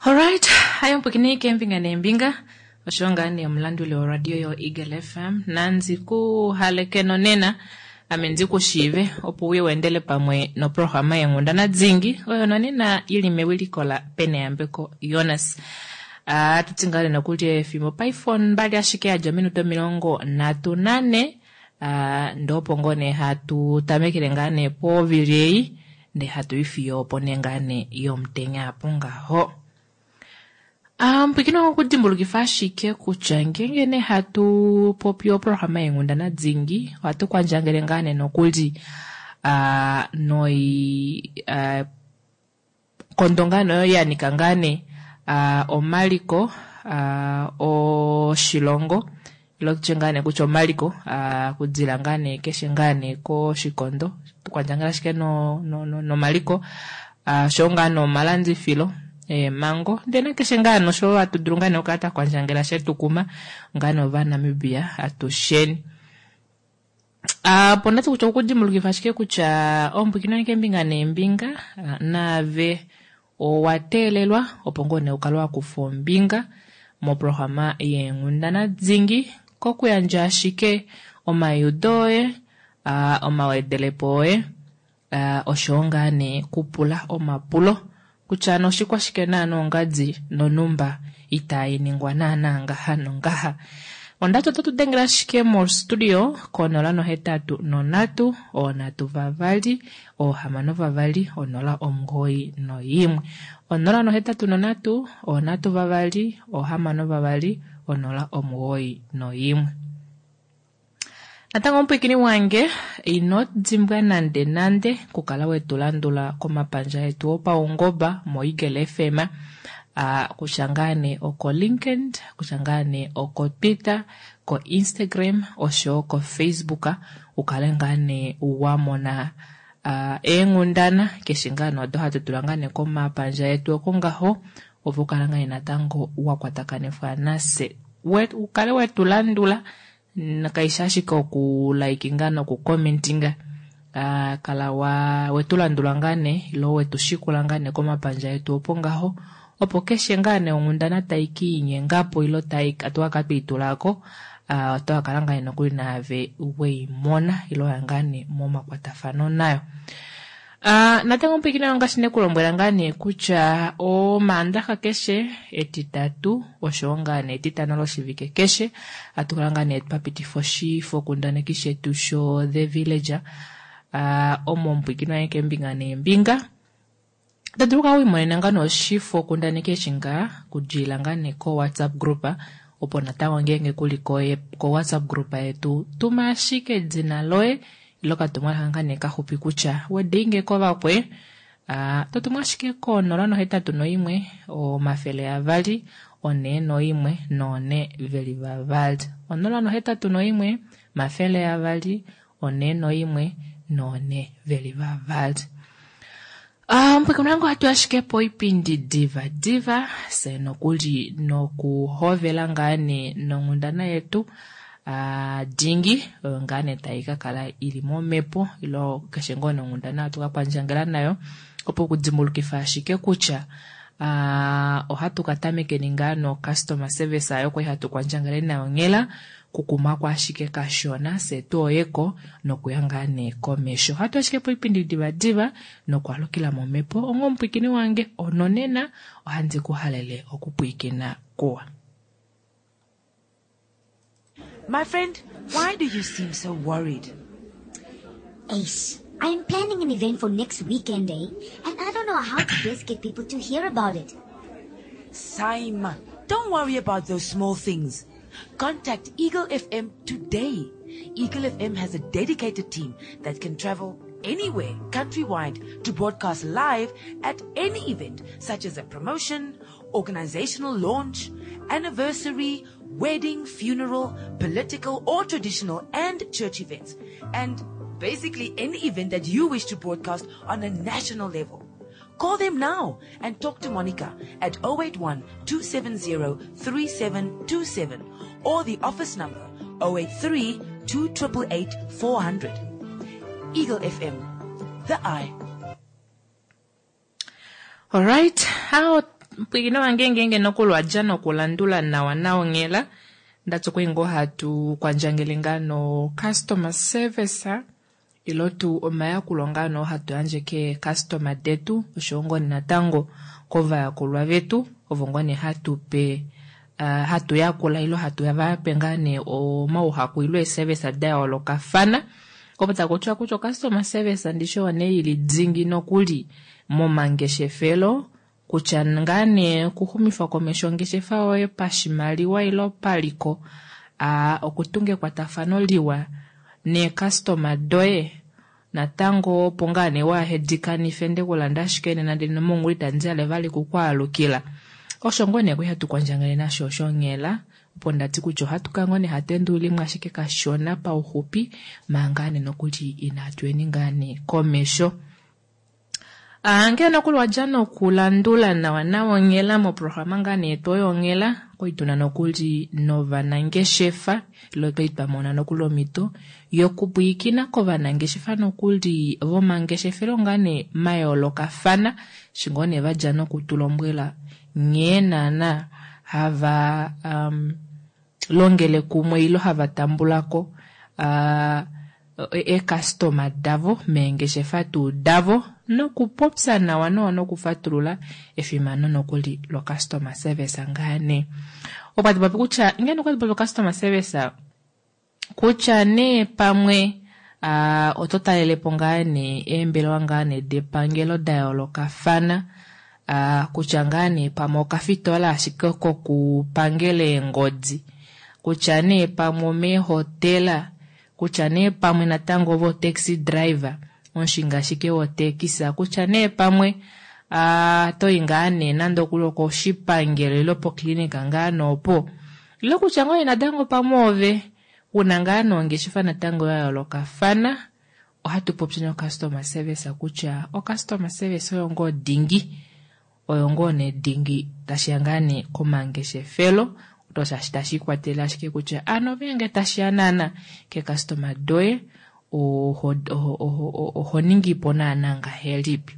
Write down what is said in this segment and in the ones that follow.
Alright, hayo mpwikini keembinga neembinga osho ngaa nee omulanduli woradio yo Eagle FM nandi ku haleke nonena ame ndi ku shiive opo uye weendele pamwe noprograma yeenghundana dingi oyo nonena ili mewiliko la Peneyambeko Jonas. Ohatu ti ngaa nokuli efimbo paife ombali ashike yadja ominute 34, ndee opo ngoo nee hatu tamekele ngaa nee povili ei ndee hatu i fiyo opo nee ngaa nee yomutenya apo ngaho. Mpwikino okudimbulukifa ashike kutya ngeenge nee hatu popi oprograma yeenghundana dingi ohatu kwandjangele ngaa nee nokuli noi kondo ngaa nee oyo ya nika ngaa nee omaliko oshilongo ile tutye ngaa nee kutya omaliko kudila ngaa nee keshe ngaa nee koshikondo tukwandjangela ashike nomaliko oshowo ngaa nee omalandifilo eemhango ndee nakeshe ngaa nee osho hatu dulu ngaa nee okukala twa kwandjangela shetukuma ngaa nee Ovanamibia atusheni. Opo ndati kutya okudimbulukifa ashike kutya ompwikino keembinga neembinga naave owa teelelwa opo ngoo nee ukale wa kufa ombinga moprograma yeenghundana dingi kokuyandja ashike omaiudo oye, omawedelepo oye, oshowo ngaa nee kupula omapulo kutya ano oshikwashike naana ongadi nonumba itai ningwa naana ngaha nongaha. Ondati oto tu dengele ashike mo studio ko 083 3 6 091. 083 3 6 091. Natango omupwikini wange ino dimbwa nande nande kukala wetu landula komapandja etu opaungoba mo Eagle FM, kutya ngaa nee oko LinkedIn, kutya ngaa nee oko Twitter, ko Instagram oshowo ko Facebook, ukale ngaa nee wa mona eenghundana keshe ngaa nee odo hatu tula ngaa nee komapandja etu oko ngaho, opo ukale ngaa nee natango wa kwatakanifwa nase, ukale wetu landula. Kaishi ashike oku likinga noku commentinga, kala wetu landula ngaa nee ilo wetu shikula ngaa nee komapandja etu opo ngaho, opo keshe ngaa nee onghundana tai ki inyengapo ilo tai atu ka twiitulako, oto ka kala ngaa nee nokuli naave weimona ilo ya ngaa nee momakwatafano nayo. Natango mpwikina ngaashi nekulombwela ngaa nee kutya omaandaxa keshe etitatu oshowo ngaa nee etitano loshivike keshe atu kala ngaa nee twa pitifa oshifokundaneki shetu sho The Villager, omo mpwikina yange keembinga neembinga. Oto dulu okukala wiimonena ngaa nee oshifokundaneki eshi ngaa kudilila ngaa nee ko WhatsApp group, opo natango ngeenge kuli ko WhatsApp group yetu tuma ashike edina loye ilo okatumwalaka ngaa nee kaxupi kutya wedeinge kovakwe, to tumu ashike ko 081 200 41 422. 081 200 41 422. Mpwikino wange ohatu ashike poipindi diva diva se nokuli nokuhovela ngaa nee nonghundana yetu dingi oyo ngaa nee tai ka kala ili momhepo ilo keshe ngoo nonghundana hatu ka kwandjangela nayo, opo okudimbulukifa ashike kutya ohatu ka tamekeni ngaa no customer service ayo kwali hatu kwandjangele nayo nghela kukumako ashike kashona se tuoyeko nokuya ngaa nee komesho. Ohatu ashike poipindi diva diva nokwaalukila momhepo ongo omupwikini wange ononena ohandi ku halele okupwikina kuwa. My friend, why do you seem so worried? Ace, I am planning an event for next weekend, And I don't know how to best get people to hear about it. Saima, don't worry about those small things. Contact Eagle FM today. Eagle FM has a dedicated team that can travel anywhere countrywide to broadcast live at any event, such as a promotion, organizational launch, anniversary, wedding, funeral, political or traditional and church events, and basically any event that you wish to broadcast on a national level. Call them now and talk to Monica at 081-270-3727 or the office number 083-2888-400. Eagle FM, the eye. All right. How Pwilikina wange ngeenge nokuli wa dja nokulandula nawa nawa onghela, ndati okwali ngoo hatu kwandjangele ngaa no customer service ilo tuu omayakulo ngaa noo hatu yandje keecustomer detu oshowo ngoo nee natango kovayakulwa vetu ovo ngoo nee hatu pe hatu yakula ilo hatu va pe ngaa nee omauhaku ilo eeservice da yoolokafana. Opo taku tiwa kutya ocustomer service ndishi oyo nee ili dingi nokuli momangeshefelo kutya ngaa nee okuxumifa komesho ongeshefa yoye pashimaliwa ilo paliko, okutunga ekwatafano liwa neecustomer doye natango opo ngaa nee waahedikanife nde kulanda ashike nena ndele nomongula itandi hale vali kukwaalukila. Osho ngoo nee kwali hatu kwandjangele nasho osho onghela opo ndati kutya ohatu kala ngoo nee hatu endululimo ashike kashona pauxupi manga nee nokuli inatu yeni ngaa nee komesho. Ngee nokuli wadja nokulandula nawa nawa onghela moprograma ngaa nee yetu oyo onghela, okwali tuna nokuli novanangeshefa ilo twali twa mona nokuli omhito yokupwiikina kovanangeshefa nokuli vomangeshefelo ngaa nee mayoolokafana, eshi ngoo nee vadja nokutulombwela nghee naana hava longele kumwe ilo hava tambulako eekastoma davo meengeshefa tuu davo nokupopya nawa nawa nokufatulula efimano nokuli locustomer service ngaa nee. Okwa popi kutya ngeno okwa popi customer service kutya nee pamwe oto talelepo ngaa nee eembelewa ngaa nee depangelo da yoolokafana, kutya ngaa nee pamwe okafitola ashike kokupangela eengodi, kutya nee pamwe omeehotela, kutya nee pamwe natango ovo taxi driver, omushingi ashike wotekisa, kutya nee pamwe toyi ngaa nee nande okuli okoshipangelo ile poklinika ngaa noopo, ile kutya ngoo natango pamwe ove una ngaa nongeshefa natango ya yoolokafana, ohatu popi no customer service kutya o customer service oyo ngoo dingi, oyo ngoo nee dingi tashiya ngaa nee komangeshefelo, oto tashi ikwatelele ashike kutya ano ngeenge tashiya naana ke customer doye oho ningipo naana ngahelipi.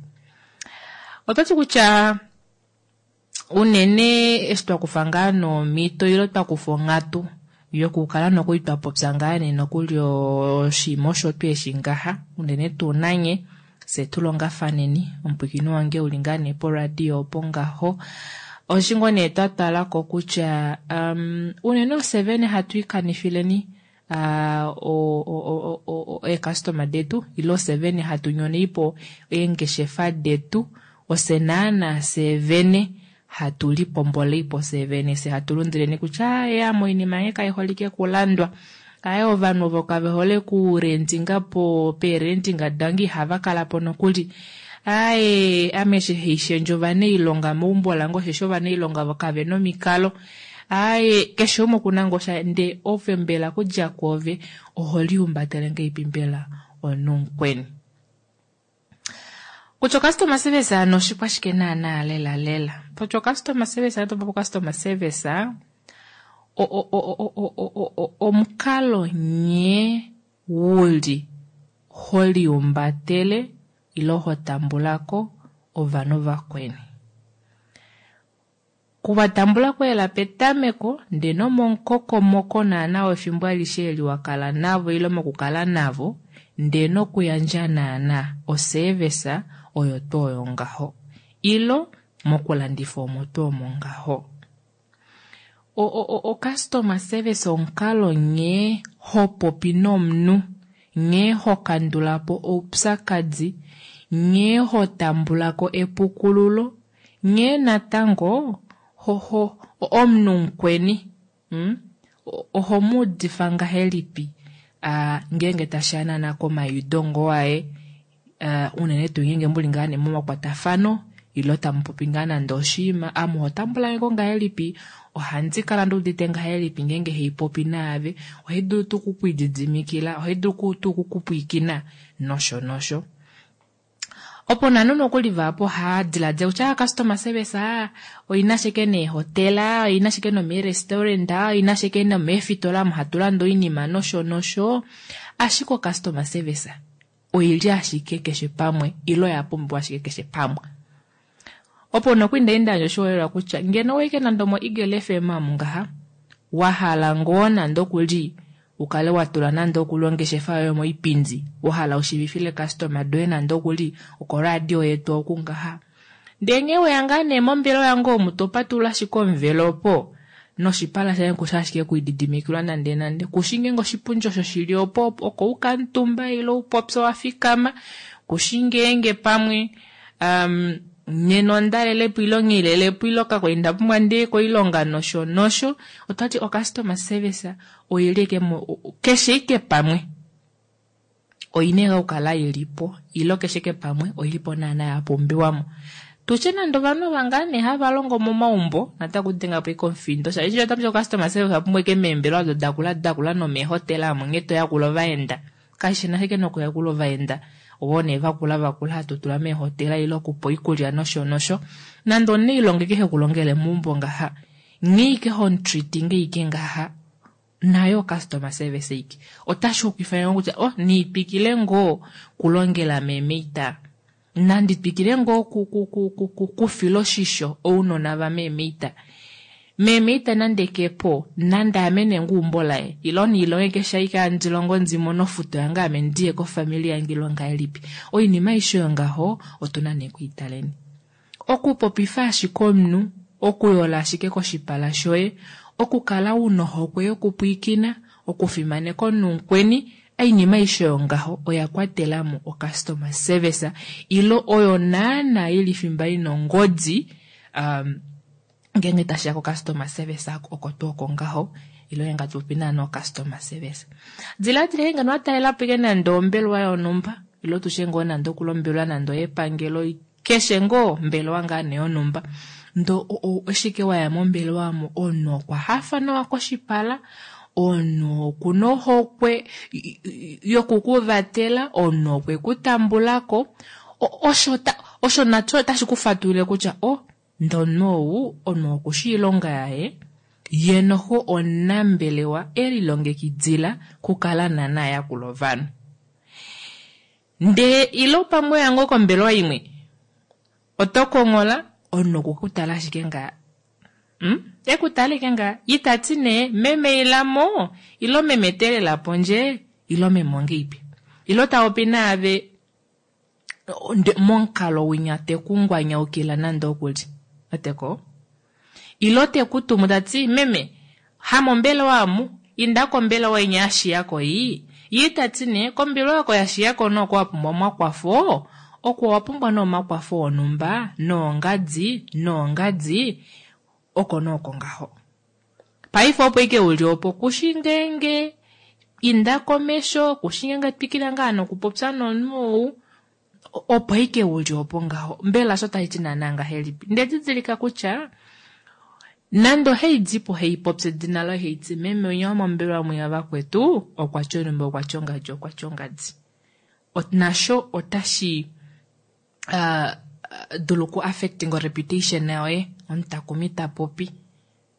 Ototi kutya unene eshi twakufa ngaa nomhito ilo twakufa onghatu yokukala nokuli twapopya ngaa nee nokuli oshinima osho tweeshi ngaha unene tuu nanye fye tulongafaneni omupwiikini wange uli ngaa nee poradio opo ngaho. Oshi ngoo nee twa talako kutya unene ofye vene hatu ikanifileni eecustomer detu ilo ofye vene hatu nyoneipo eengeshefa detu, ofye naana fye vene hatu lipomboleipo fye vene, fye hatu lundileni kutya ya moinima yange kaiholike kulandwa, aye ovanhu ovo kave hole kurendinga po peerendinga dange ihava kala po nokuli, aye ame eshi haishendje ovanailonga meumbo lange osheshi ovanailonga vo kave nomikalo, aye keshe umwe okuna ngoo sha nde ove mbela kudja kwoove oho lihumbatele ngahelipi mbela omunhu mukweni. Kutya customer service ano oshikwashike naana lela lela. Kutya customer service ano topopi customer service omukalo nghee wuli ho lihumbatele ilo ho tambulako ovanhu vakweni. Kuvatambulako ela petameko ndee nomomukokomoko naana wefimbo alishe eli wakala navo ilo mokukala navo ndee nokuyandja naana oservice oyo tuu oyo ngaho ilo mokulandifa omo tuu omo ngaho. O customer service omukalo nghee ho popi nomunhu, nghee ho kandulapo oupyakadi, nghee ho tambulako epukululo, nghee natango omunhu mukweni oho muudifa ngahelipi ngeenge tashiya naana komaiudo ngoo aye, unene tuu ngeenge muli ngaa nee momakwatafano ilo tamupopi ngaa nande oshinima, ame oho tambulangeko ngahelipi, ohandi kala nduudite ngahelipi ngeenge haipopi naave, ohai dulu tuu okukwididimikila, ohai dulu tuu okukupwiikina nosho nosho. Opo nanu nokuli vahapu ohava diladila kutya customer service oina ashike neehotela, oina ashike nomeerestaurant, oina ashike nomeefitola omo hatu lande oinima nosho nosho, ashike o customer service oili ashike keshe pamwe ilo oya pumbiwa ashike keshe pamwe. Opo nokuli ndali nda yandja oshiholelwa kutya ngeno owaike nande omo Eagle FM amu ngaha, wa hala ngoo nande okuli ukale wa tula nande okuli ongeshefa yoye moipindi, wa hala ushivifile customer doye nande okuli okoradio yetu oku ngaha. Ndee nghee weya ngaa nee mombelewa yange omu to patulula ashike omuvelo opo, noshipala shange kushi ashike kuididimikilwa nande nande, kushi ngeenge oshipundi osho shili opo oko ukamutumba ile upopye wa fikama, kushi ngeenge pamwe nena ondalelepo ile nghilelepo ile kakwali nda pumbwa ndiye koilonga nosho nosho. Otwati o customer service oili ike keshe ike pamwe oina okukala ilipo ile keshe ike pamwe oilipo naana ya pumbiwamo. Tutye nande ovanhu ava ngaa nee hava longo momaumbo natango kudenga po ike omufindo shaashi otapu customer service opumbwa ike meembelewa odo dakula dakula nomeehotela omo nghee toyakula ovaenda. Kashi na ashike nokuyakula ovaenda ovo nee vakula vakula hatu tula meehotela ile okupa oikulya nosho nosho. Nande omunailonga ike hekulongele meumbo ngaha, nghee ike homutreatinge ike ngaha, nayo customer service ike. Otashi hokwifa ngoo kutya oh niitwikile ngoo kulongela meemeita, nandi twikile ngoo kufila oshisho ounona vameemeita. Meemeita nande kepo, nande ame nenguumbo laye, ile niilonge keshe aike handi longo ndi mone ofuto yange ame ndiye kofamili yange ile ongahelipi. Oinima aishe oyo ngaho otuna nee kuitaleni. Okupopifa ashike omunhu, okuyola ashike koshipala shoye, okukala una ohokwe yokupwiikina, okufimaneka omunhu mukweni, oinima aishe oyo ngaho oya kwatelamo o customer service ile oyo naana ili fimba ina ongodi ngeenge tashiya ko customer service oko tuu oko ngaho ile ngeenge hatu popi naana o customer service. Diladila ngeno wa talelapo ike nande ombelewa yonhumba ile tushe ngoo nande okulombelwa nande oyepangelo keshe ngoo ombelewa ngaa nee yonhumba ndo ashike waya mombelewa omo omunhu okwa hafa nawa koshipala, omunhu okuna ohokwe yokukuvatela, omunhu okwe kutambulako, osho nasho otashi ku fatulile kutya oh ndee omunhu ou omunhu okushi oilonga yaye, ye noho omunambelewa elilongekidila kukala naana ayakula ovanhu. Ndee ile pamwe oya ngoo kombelewa imwe oto konghola omunhu okukutala ashike ngaa ekutala ike ngaa itati nee meme ilamo ile meme teelela pondje ile meme ongeipi ile tapopi naave momukalo winya tekungwanyaukila nande okuli oteko ile tekutumu tati meme hamombelewa amu inda kombelewa inya yashiyako iyi ye itati nee kombelewa oko yashiyako noko wapumbwa omakwafo oko wapumbwa nee omakwafo onhumba noongadi noongadi oko nooko ngaho. Paife opo ike uli opo kushi ngeenge inda komesho, kushi ngeenge twikila ngaa nokupopya nomunhu ou, opo ike uli opo ngaho. Mbela osho tashi ti naana ngahelipi? Nde didilika kutya nande ohaidipo haipopya edina loye haiti meme winya womombelewa mwinya vakwetu okwa tya onhumba okwa tya ongadi okwa tya ongadi. Nasho otashi dulu ku affecting reputation yoye omutakumi ta popi.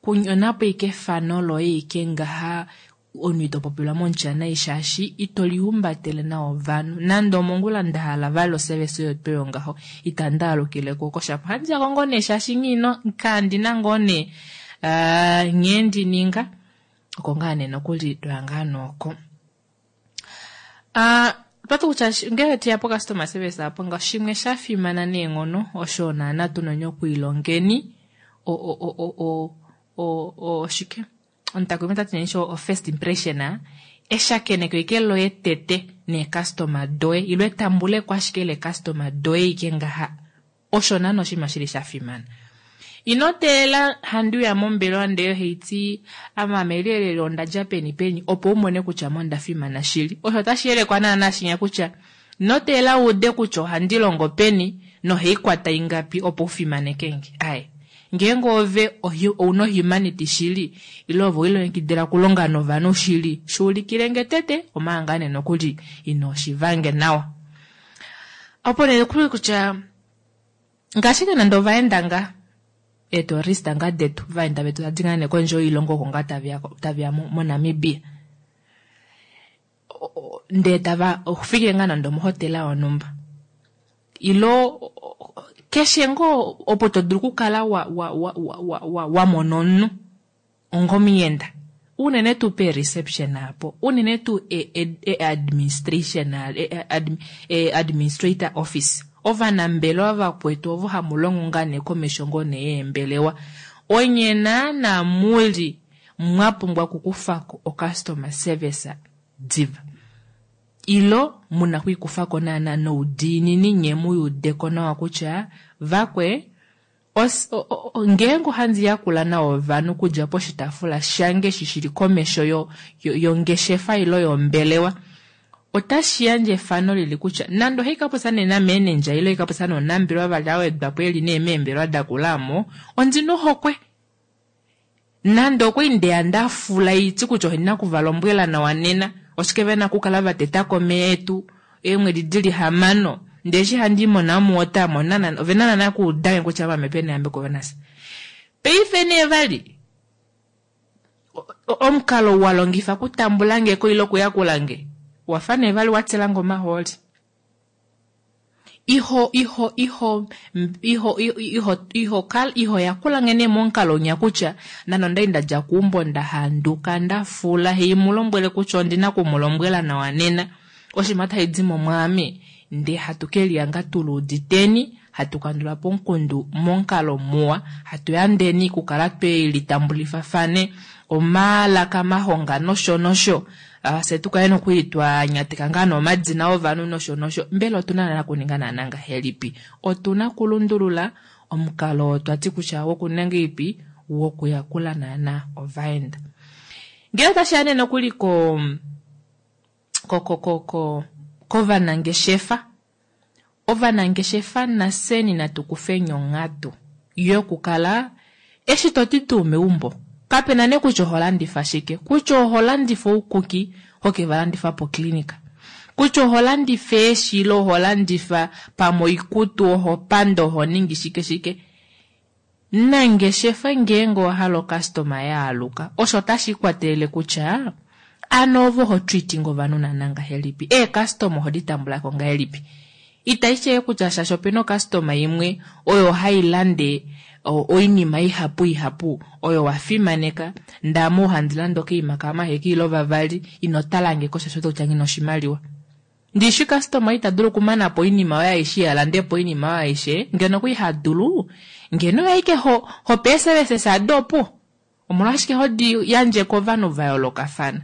Kunyonapo ike efano loye ike ngaha omunhu ito popilwa momutya nai shaashi ito lihumbatele nawa ovanhu. Nande omongula nda hala vali oservice oyo tuu yongaho itandi alukile ko koshapo. Ohandi yako ngoo nee shaashi nghino kandina ngoo nee nghee ndi ninga oko ngaa nee nokuli toya ngaa nooko. Otwati kutya ngele teya po customer service apo nga shimwe sha fimana neenghono osho naana tuna okwiilongeni oshike omutakumi tati nee o first impression eshakeneko ike loye tete neecustomer doye ile etambuleko ashike lecustomer doye ike ngaha osho naana oshinima shili sha fimana. Ino teelela handi uya mombelewa ndee haiti ame lelele ondadja peni peni opo umone kutya mo onda fimana shili. Osho otashi yelekwa naana shinya kutya ino teelela uude kutya ohandi longo peni nohaikwata ingapi opo ufimaneke nge. Aye. Ngeenge ove ouna humanity shili ile ove wilongekidila okulonga novanhu shili shuulikile nge tete omanga nee nokuli ino shivange nawa. Opo nee kuli kutya ngaashi ke nande ovaenda nga eetourist nga detu vaenda vetu tadi ngaa nee kondje yoilongo oko ngaa taveya moNamibia ndee tava fikile ngaa nande omohotela yonhumba ilo Keshe ngoo opo to dulu okukala wa wa wa wa wa mona omunhu ongomuyenda unene tuu peereception apo, unene tuu e-administration e-administrator office, ovanambelewa vakwetu ovo hamu longo ngaa nee komesho ngoo nee yeembelewa, onye naana muli mwa pumbwa okukufako ocustomer service diva. Ilo muna okwiikufako naana noudiinini nye muyudeko nawa kutya vakwe ngeenge ohandi yakula nawa ovanhu okudja poshitaafula shange eshi shili komesho yongeshefa ilo yombelewa, otashi yandje efano lili kutya nande ohai ka popya nee nameenendja ile ohai ka popya nomunambelewa vali a wedwa po eli nee meembelewa dakula omo, ondina ohokwe. Nande okwali ndeya nda fula iti kutya ondina oku va lombwela nawa nena, oshike vena okukala va teta ko omeya etu eemwedi dili hamano, ndee eshi handi i moNamwater mo ovena naana okuudange kutya ame Peneyambeko Venus. Paife nee vali omukalo ou wa longifa okutambula nge ko ile okuyakula nge, owa fa nee vali wa tila nge omahooli. Iho iho iho iho iho iho kala iho yakula nge nee momukalo unya kutya nande ondali nda dja keumbo nda handuka nda fula hei mu lombwele kutya ondina oku mu lombwela nawa nena oshinima otashi di mo mwaame ndee hatu ke liyanga tu luuditeni hatu kandula po omukundu momukalo muwa hatu yandeni okukala twe litambulifafane omalaka mahonga nosho nosho Fye tu kale nokuli twa nyateka ngaa nee omadina ovanhu nosho nosho. Mbela otu na naana okuninga naana ngahelipi? Otu na okulundulula omukalo oo twa ti kutya wokuninga ngahelipi wokuyakula naana ovaenda. Ngele otashi ya nee nokuli ko ko ko ko kovanangeshefa Ovanangeshefa nafyeni natu kufeni onghatu yokukala eshi to ti tuu meumbo kape na nee kutya oho landifa shike, kutya oho landifa oukuki ho ke va landifa poklinika, kutya oho landifa eeshi ile oho landifa pamwe oikutu, oho panda, oho ningi shike shike. Nangeshefa ngeenge owa hala okastoma yaaluka osho otashi ikwatelele kutya ano ove oho treating ovanhu naana ngahelipi, eekastoma ohodi tambulako ngahelipi. Itashi ti kutya shaashi opena okastoma imwe oyo hai lande oinima ihapu ihapu oyo wa fimaneka ndee ame ou handi lande okaima kamaheke ile vavali ino talange ko shaashi oto kutya nghina oshimaliwa. Ndishi customer ita dulu okumana po oinima oyo aishe iha lande po oinima oyo aishe ngeno okwali ha dulu ngeno oye aike ho ho pe eeservices ado opuwo omolwashike ho di yandje kovanhu va yoolokafana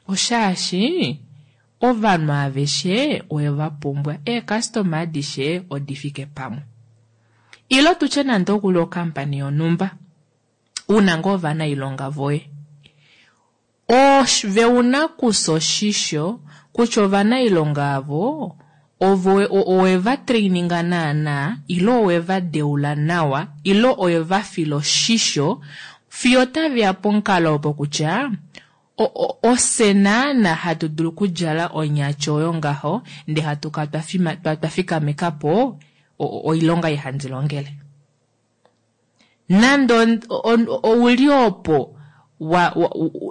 oshaashi ovanhu aveshe owe va pumbwa eecustomer adishe odi fike pamwe ilo tutye nande okuli ocompany yonhumba una ngoo ovanailonga voye Ove una kufya oshisho kutya ovanailonga avo ovo owe va traininga naana ile owe va deula nawa ile owe va fila oshisho fiyo otave ya pomukalo opo kutya ofye naana hatu dulu okudjala onyati oyo ngaho ndee hatu kala twa fikameka po oilonga ei handi longele. Nande ouli opo wa,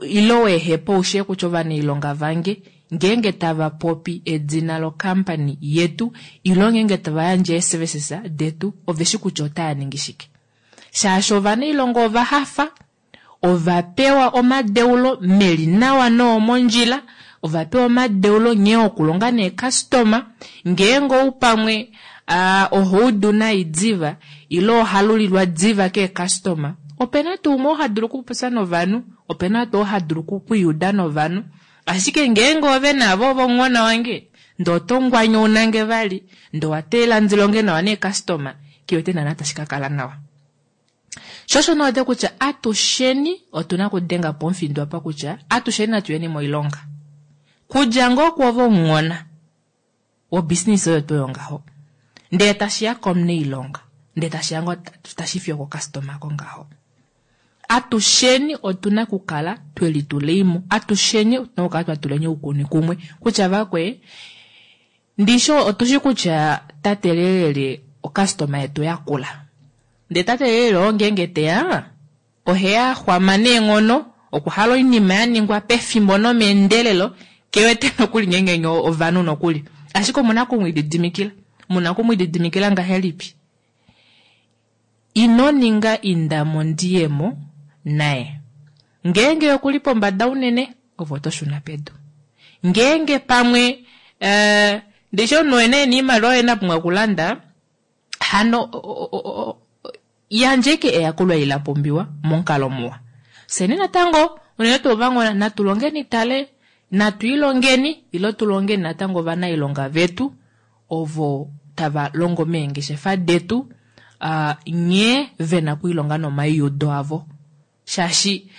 ile wehepa oushee kutya ovanailonga vange ngeenge tava popi edina lo company yetu ile ngeenge tava yandje ee services detu oveshi kutya otava ningi shike. Shaashi ovanailonga ova hafa, Ova pewa omadeulo meli nawa noomondjila, ova pewa omadeulo nghee okulonga neekastoma. Ngeenge ou pamwe oho udu nai diva ile oha lulilwa diva keekastoma, ope na tuu umwe oo ha dulu okupopya novanhu, ope na tuu oo ha dulu okwiiuda novanhu. Ashike ngeenge ove naave ove omuhona wange, ndee oto ngwanyauna nge vali, ndee owa teelela ndi longe nawa neekastoma, nghi wete naana tashi ka kala nawa. Sho osho nee kutya atusheni otu na okudenga po omufindo apa kutya atusheni natu yeni moilonga. Kudja ngoo kwoove omunghona wobusiness oyo tuu oyo ngaho, ndee tashi ya komunailonga, ndee tashi ya ngoo tashi fiyo okokastoma ko ngaho. Atusheni otu na okukala twe litulei mo, atusheni otu na okukala twa tuleni oukuni kumwe kutya vakwee, Ndishi otushi kutya tate Lelele okastoma yetu yakula. Ndee tate Lelele oo ngeenge teya, oheya a xwama neenghono, okwa hala oinima ya ningwa pefimbo nomeendelelo, ke wete nokuli ngeenge nye ovanhu nokuli. Ashike omuna oku mu lididimikila. Muna oku mu lididimikila ngahelipi? Ino ninga indamo ndiyemo naye. Ngeenge ye okuli pombada unene, ove oto shuna pedu. Ngeenge pamwe ndishi omunhu oye nee ena oimaliwa oye ena pumbwa okulanda, hano yandja ashike eyakulo eli la pumbiwa momukalo muwa. Fyeni natango unene tuu ovanghona natu longeni tale, natu ilongeni ile tu longeni natango ovanailonga vetu ovo tava longo meengeshefa detu nghee vena okwiilonga nomaiudo avo. Shaashi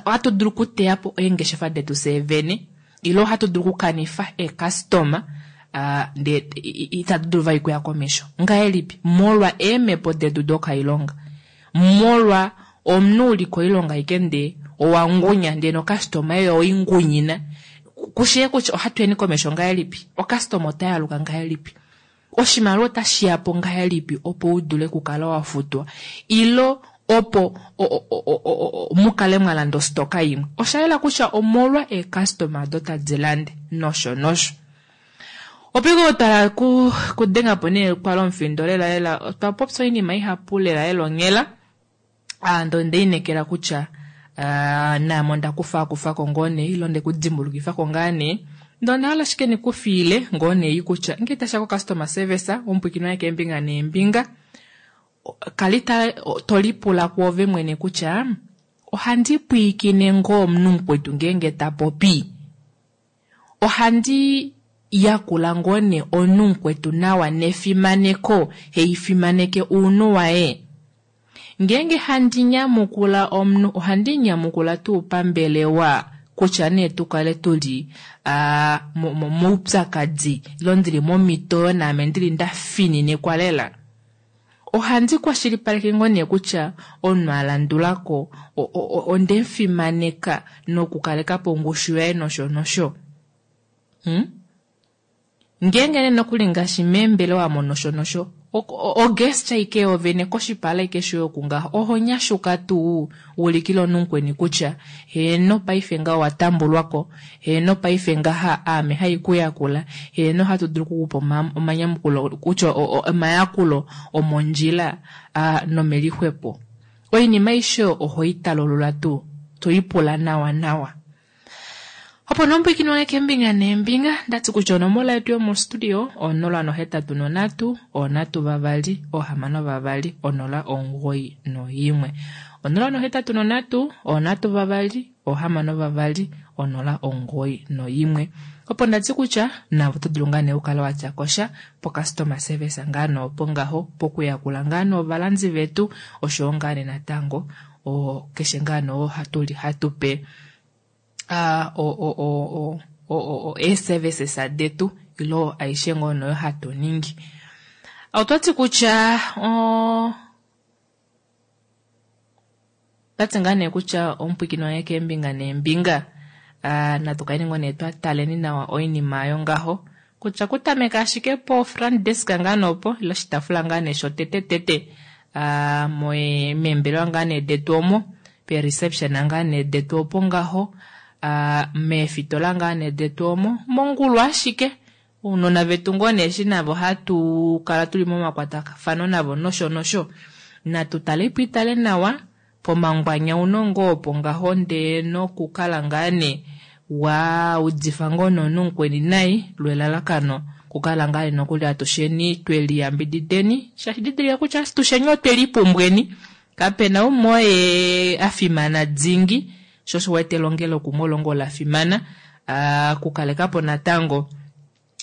ohatu dulu okuteya po eengeshefa detu fyee vene ile ohatu dulu okukanifa eecustoma ndee itatu dulu vali okuya komesho. Ngahelipi? Molwa eemhepo detu dokailonga. Molwa omunhu uli koilonga aike ndee owa ngunya ndee nocustoma yoye owaingunyina. Kushee kutya ohatu yeni komesho ngahelipi? Ocustoma otayaluka ngahelipi? Oshimaliwa otashi ya po ngahelipi opo u dule okukala wa futwa ilo opo mu kale mwa landa ostoka imwe? Osha yela kutya omolwa eecustoma odo tadi lande nosho nosho. Opo ike twala kudenga po nee kwala omufindo lela lela, otwa popya oinima ihapu lela lela onghela. Ndee onde inekela kutya naame onda kufaakufako ngoo nee ile onde kudimbulukifako ngaa nee. Ndee onda hala ashike ndikufiile ngoo nee kutya ngee tashiya ko customer service, omupwiikini wange keembinga neembinga, kali to lipula kwoove mwene kutya ohandi pwiikine ngoo omunhu mukwetu ngeenge ta popi? Ohandi yakula ngoo nee omunhu mukwetu nawa nefimaneko, haifimaneke ounhu waye? Ngeenge handi nyamukula omunhu, ohandi nyamukula tuu pambelewa kutya nee tu kale tuli moupyakadi ile ndili momitoyo naame ndili nda fininikwa lela? Ohandi kwashilipaleke ngoo nee kutya omunhu a landulako onde mufimaneka nokukaleka po ongushu yaye nosho nosho? Ngeenge nee nokuli ngaashi meembelewa omo nosho nosho, ogesture aike yoovene koshipala aike shoye oku ngaho, oho nyashuka tuu ulikile omunhu mukweni kutya heeno paife ngaha owa tambulwako, heeno paife ngaha aame hai ku yakula, heeno ohatu dulu okukupa omanyamukulo kutya omayakulo omondjila nomelixwepo. Oinima aishe oyo oho i talulula tuu, to i pula nawa nawa. Opo nee omupwiikini wange keembinga neembinga, ndati kutya onomola yetu yomostudio 083 3 6 2 0 91. 083 3 6 2 0 91. Opo ndati kutya navo oto dulu ngaa nee okukala watya kosha po customer service ngaa nee opo ngaho pokuyakula ngaa nee ovalandi vetu oshoyo ngaa nee natango keshe ngaa nee oo hatuli hatupe eeservices detu ilo aishe ngoo noyo hatu ningi. Otwati kutya otwati ngaa nee kutya omupwiikini wange keembinga neembinga natu kaleni ngoo nee twa taleni nawa oinima yongaho kutya kutameka ashike po front desk ngaa nee opo ile oshitaafula ngaa nee shotete tete meembelewa ngaa nee detu omo pe reception ngaa nee detu opo ngaho meefitola ngaa nee detu omo mongulu ashike ounona vetu ngoo nee eshi navo hatu kala tuli momakwatafano navo nosho nosho natu tale ipo itale nawa pomangwanyauno ngoo opo ngaho ndee nokukala ngaa nee wa udifa ngoo nomunhu mukweni nai lwelalakano kukala ngaa nee nokuli atusheni tweliyambidideni shaashi didilika kutya atusheni otwe lipumbweni kapena umwe oye a fimana dingi sho osho wete elongelo kumwe olo ngoo la fimana okukalekapo natango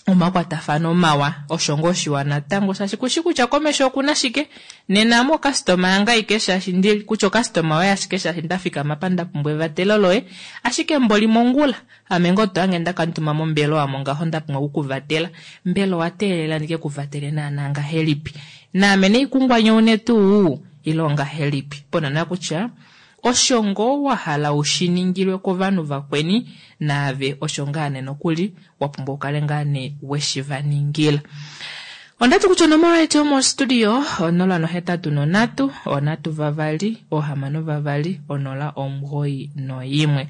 omakwatafano mawa osho ngoo shiwa natango shaashi kushi kutya komesho okuna shike nena ame okastoma yange aike shaashi ndi kutya okastoma yoye ashike shaashi nda fikama apa nda pumbwa evatelo loye ashike mboli mongula ame ngoo to hange ndakamutuma mombelewa omo ngaho nda pumbwa okukuvatela mbela owa teelela ndike kuvatele naana ngahelipi naame naikungwanyoune tuu ile ongahelipi ponana kutya osho ngoo wa hala ushiningilwe kovanhu vakweni naave osho ngaa nee nokuli wa pumbwa ukale ngaa nee weshi va ningila. Ondati kutya onomola yetu yomostudio 083 3 6 2 0 91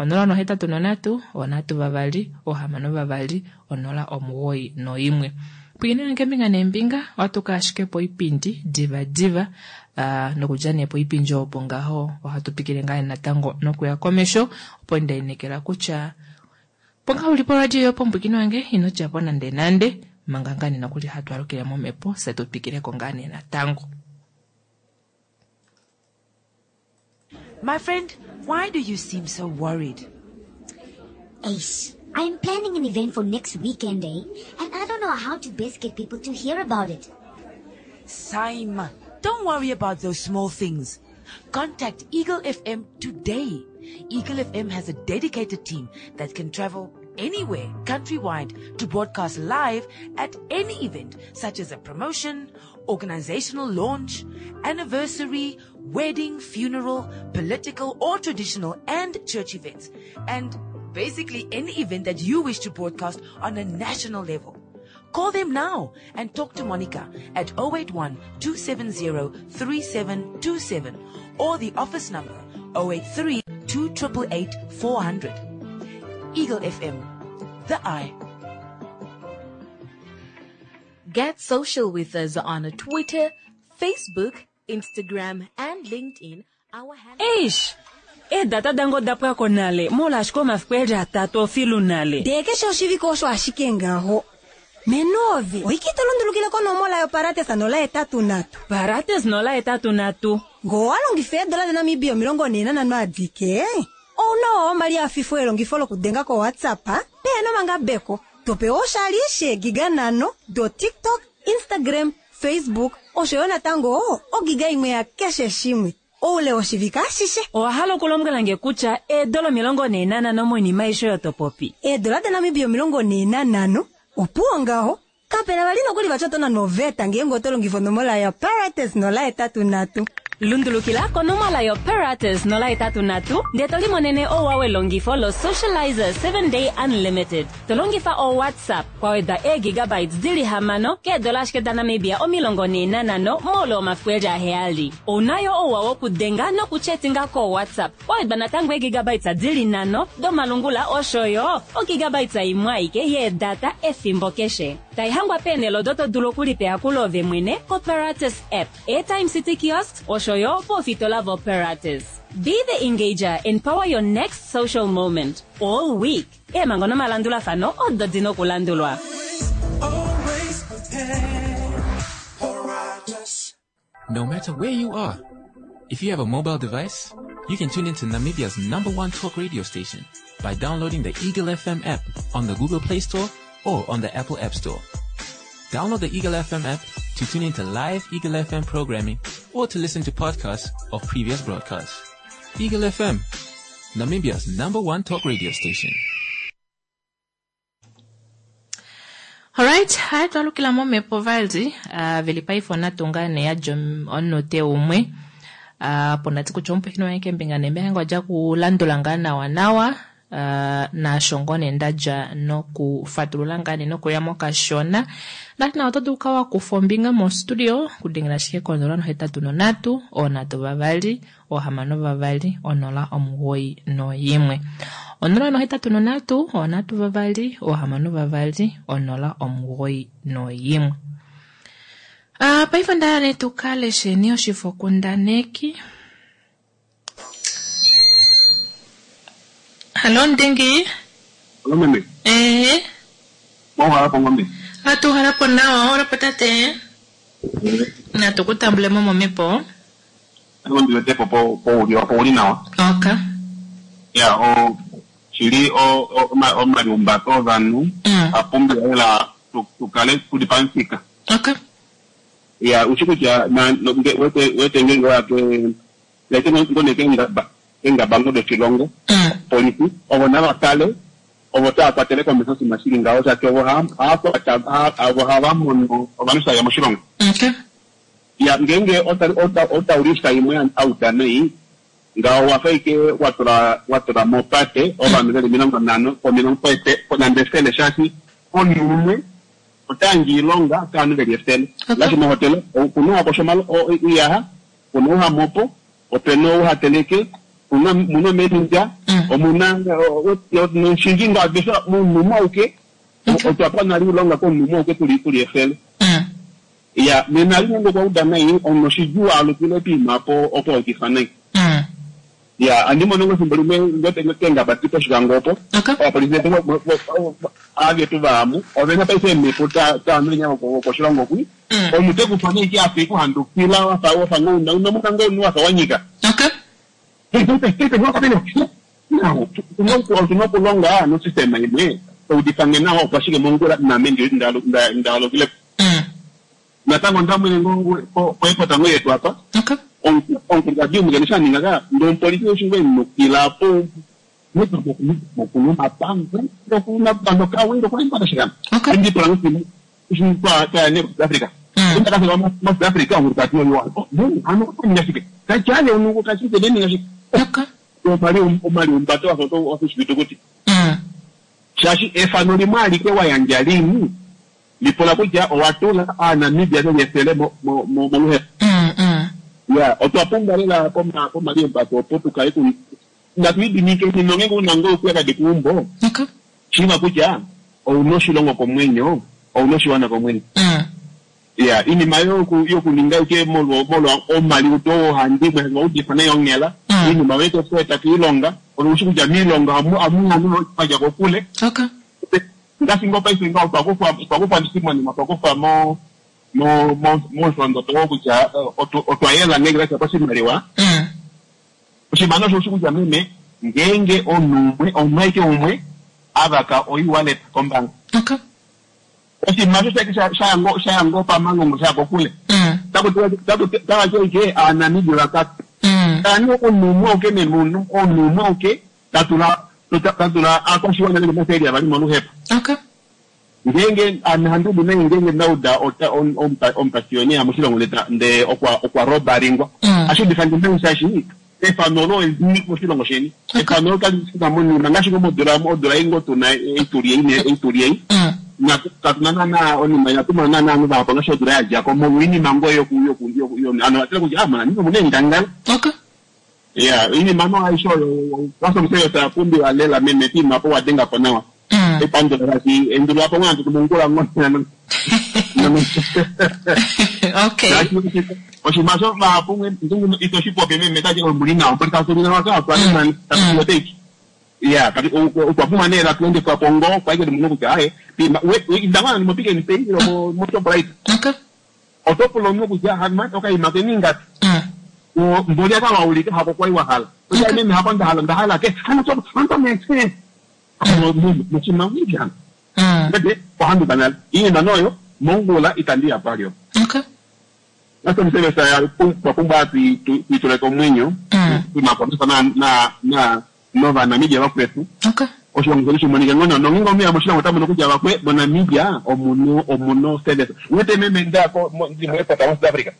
083 3 6 2 0 91. Pwiinine keembinga neembinga, ohatu ka ashike poipindi diva diva. Uh, nokudja nee poipindi opo ngaho ohatu twikile ngaa natango nokuya komesho, opo nda inekela kutya opo ngaa uli poradio yopombwikino wange ino dja po nande nande, manga ngaa nee nokuli hatu alukile momhepo fye tu twikile ko ngaa nee natango. My friend, why do you seem so worried? Ace, I'm planning an event for next weekend, eh? And I don't know how to best get people to hear about it. Saima, don't worry about those small things. Contact Eagle FM today. Eagle FM has a dedicated team that can travel anywhere countrywide to broadcast live at any event such as a promotion, organizational launch, anniversary, wedding, funeral, political or traditional and church events, and basically any event that you wish to broadcast on a national level. Call them now and talk to Monica at 081 270 3727 or the office number 083 2888 400. Eagle FM, the eye. Get social with us on Twitter, Facebook, Instagram, and LinkedIn. Our handle. Eish! Eedata dange oda pwa ko nale molwaashi omafiku eli atatu ofilu nale. Ndee keshe oshivike osho ashike ngaho. Menovi, oike to lundulukile konomola yoparates 083. Parates 083. Ngoo owa longifa eedola daNamibia 45 adike, ouna wa omali afifo elongifo lokudenga koWhatsApp pehena omangabeko. Topewa oshali sheegiga 5 do TikTok, Instagram, Facebook osho yo natango ogiga imwe ya keshe shimwe oule woshivike ashishe. Owa hala okulombwela nge kutya eedola 45 moinima aishe oyo to popi? Eedola daNamibia 45 opuwo ngaho. Kapena vali nokuli vati oto nanwa oveta ngeenge oto longifa onomola yoparates 083. Lundulukila konomola yoparates 083 ndee to limonene ouwa welongifo lo-Socializer 7 Day Unlimited. To longifa o-WhatsApp kwa weda eegigabytes dili 6 keedola ashike daNamibia 45 moule womafiku eli 7. Ouna yo ouwa wokudenga nokuchetinga ko-WhatsApp kwa wedwa natango eegigabytes dili 5 domalungula osho yo ogigabytes imwe aike yeedata efimbo keshe. Taihangwa peenhele odo to dulu okulipa ove mwene koParatus app, Airtime City Kiosks osho yo poofitola voParatus. Be the engager and power your next social moment all week. Eemhango nomalandulafano odo di na okulandulwa. Always prepared. Paratus. No matter where you are, if you have a mobile device, you can tune into Namibia's #1 talk radio station by downloading the Eagle FM app on the Google Play Store or on the Apple App Store. Download the Eagle FM app to tune into live Eagle FM programming or to listen to podcasts of previous broadcasts. Eagle FM, Namibia's #1 talk radio station. Alright, hai twalukila momhepo vali, veli paife onatunga ne yadja omunute umwe. Apo ndati kutya omupwiikini wange keembinga neembinga nge odja kulandula ngaa nawa nawa. Naasho ngoo nee ndadja nokufatulula ngaa nee nokuya mokashona. Ndati nawa oto dulu kukala wakufa ombinga mostudio kudengela ashike ko 083 3 6 2 091. 083 3 6 2 091. Paife onda hala nee tu ka lesheni oshifokundaneki. Hallo Ndingi. Hallo meme. Eh. Mwa hapo ngombe. Atu halapo nawa, ora tate. Na tukutambule mo momepo. Ngombe ndiwete po po uli po uli nawa. Okay. Ya o chili o o malumba to vanhu. Apumbi ela tukale kulipansika. Okay. Ya uchikuja na wete wete ngengo yake lete ngone kenga enga bango de chilongo. Polisi ovo nava kale ovo tava kwatele komesho oshinima shili ngaho shaashi ovo ovo hava mono ovanhu shaya moshilongo. Okay. Ya ngeenge otaulisa imwe auta nei ngaho wafa ike watula mopate ovanhu veli 50 po 50 nande 100 shaashi omunhu umwe otayandje iilonga kaanhu veli 100. Ngaashi mohotela okuna wakosha iyaha, kuna ouhamopo, opena ouhateleke, muna manager, omuna noshinji ngaho munhu umwe auke. Otwa pa nale oilonga komunhu umwe auke tuli tuli efele. Ya, nena ali nande okwa uda nai, omunhu oshidjuu a alukile poima opo opo a udifa nai. Ya, andi mono ngoo efimbo limwe ngoo keengaba di pOshikango opo, ovapolifi vetu ava vetu vaamu ovena paife eemhepo daamenya vokoshilongo kwi. Omunhu te ku fa nee ike afa ekuhandukila wafa wafa ngoo una una mona ngoo omunhu wafa wa nyika. Otuna okulonga nosystema imwe taudifa nge nawa opo ashike mongula naame ndaalukile natango ndamwene ngoo poepota ngoo yetu apa omukulukadi umwe kene shaninga ka ndee omupolifi eshi ngoo enukila po Africa Africa omaliumbato wafa oshifitukuti shaashi efano limwe alike wa yandja lii lipula kutya owa tula Aanamibia veli efele moluhepo. Ya otwa pumbwa lela pomaliumbato opo tukale natu idimikeni nongeenge una ngoo oupyakadi keumbo shiiva kutya ouna oshilongo komwenyo ouna oshiwana komwenyo. Ya iinima yokuninga ike molwa omaliudo oohandimwe va udifa nayi onghela iinima oyo toku eta kiilonga ove ushi kutya miilonga ohamu vadja kokule ngaashi ngoo paife ngaho otwa kufwa monima otwa kufwa momusholondodo oo kutya otwa yela ngeenge tashiya koshimaliwa. Oshimaliwa osho ushi kutya meme ngeenge omunhu umwe omunhu aike umwe avaka oe-wallet kombaanga. Oshinima osho shaya ngoo pamalongo shaya kokule. Taku ike Aanamibia vatatu. Kala omunhu umwe auke meme omunhu umwe auke tatula aakwashiwana veli omathele avali moluhepo. Ngeenge ame handi udu nai ngeenge ndauda omupashioni moshilongo ndee okwa robalingwa. Ohashi udifa nge nai shaashi efano olo eli moshilongo sheni. Efano olo kali fika monima ngaashi ngoo modula odula ei ngoo tuna eituli ei. Katuna naana onima inatu mona naana ovanhu vahapu ngaashi odula yadjako molwa oinima ngoo yoku ovanhu vatile kutya moNamibia omuna eengangala. Ya oinima no aishe oyo kasomseyo oya pumbiwa lela meme poima opo wa dengapo nawa. Epandula shaashi endulula po ngoo nande mongula ngoo. Oshinima osho vahapu ito shi popi meme tati omuli nawa mboli katuli nawa ka otwa tatuoteki. Ya otwa pumbwa nee latu endifwa po ngoo kwa ike mono kutya aye inda ngoo nande moPick n Pay ile moShoprite. Oto pula omunhu kutya hano okaima keni ingapi. Mboli aka waulika hako kwali wa hala. Kutya meme hako ndahala ndahala ke hano to hano mese. Moshinima hano. Ndee ohanduka nale. Iinima noyo mongula itandi ya palyo. Nasomusevesa twa pumbwa tuitule komwenyo tunakwamisa na novanamibia vakwetu. Oshilongo shetu shimonike ngoo nawa nongeenge omunhu eya moshilongo ota mono kutya vakwe moNamibia omuno service. Uwete meme ndako ndi moairport mo South Africa.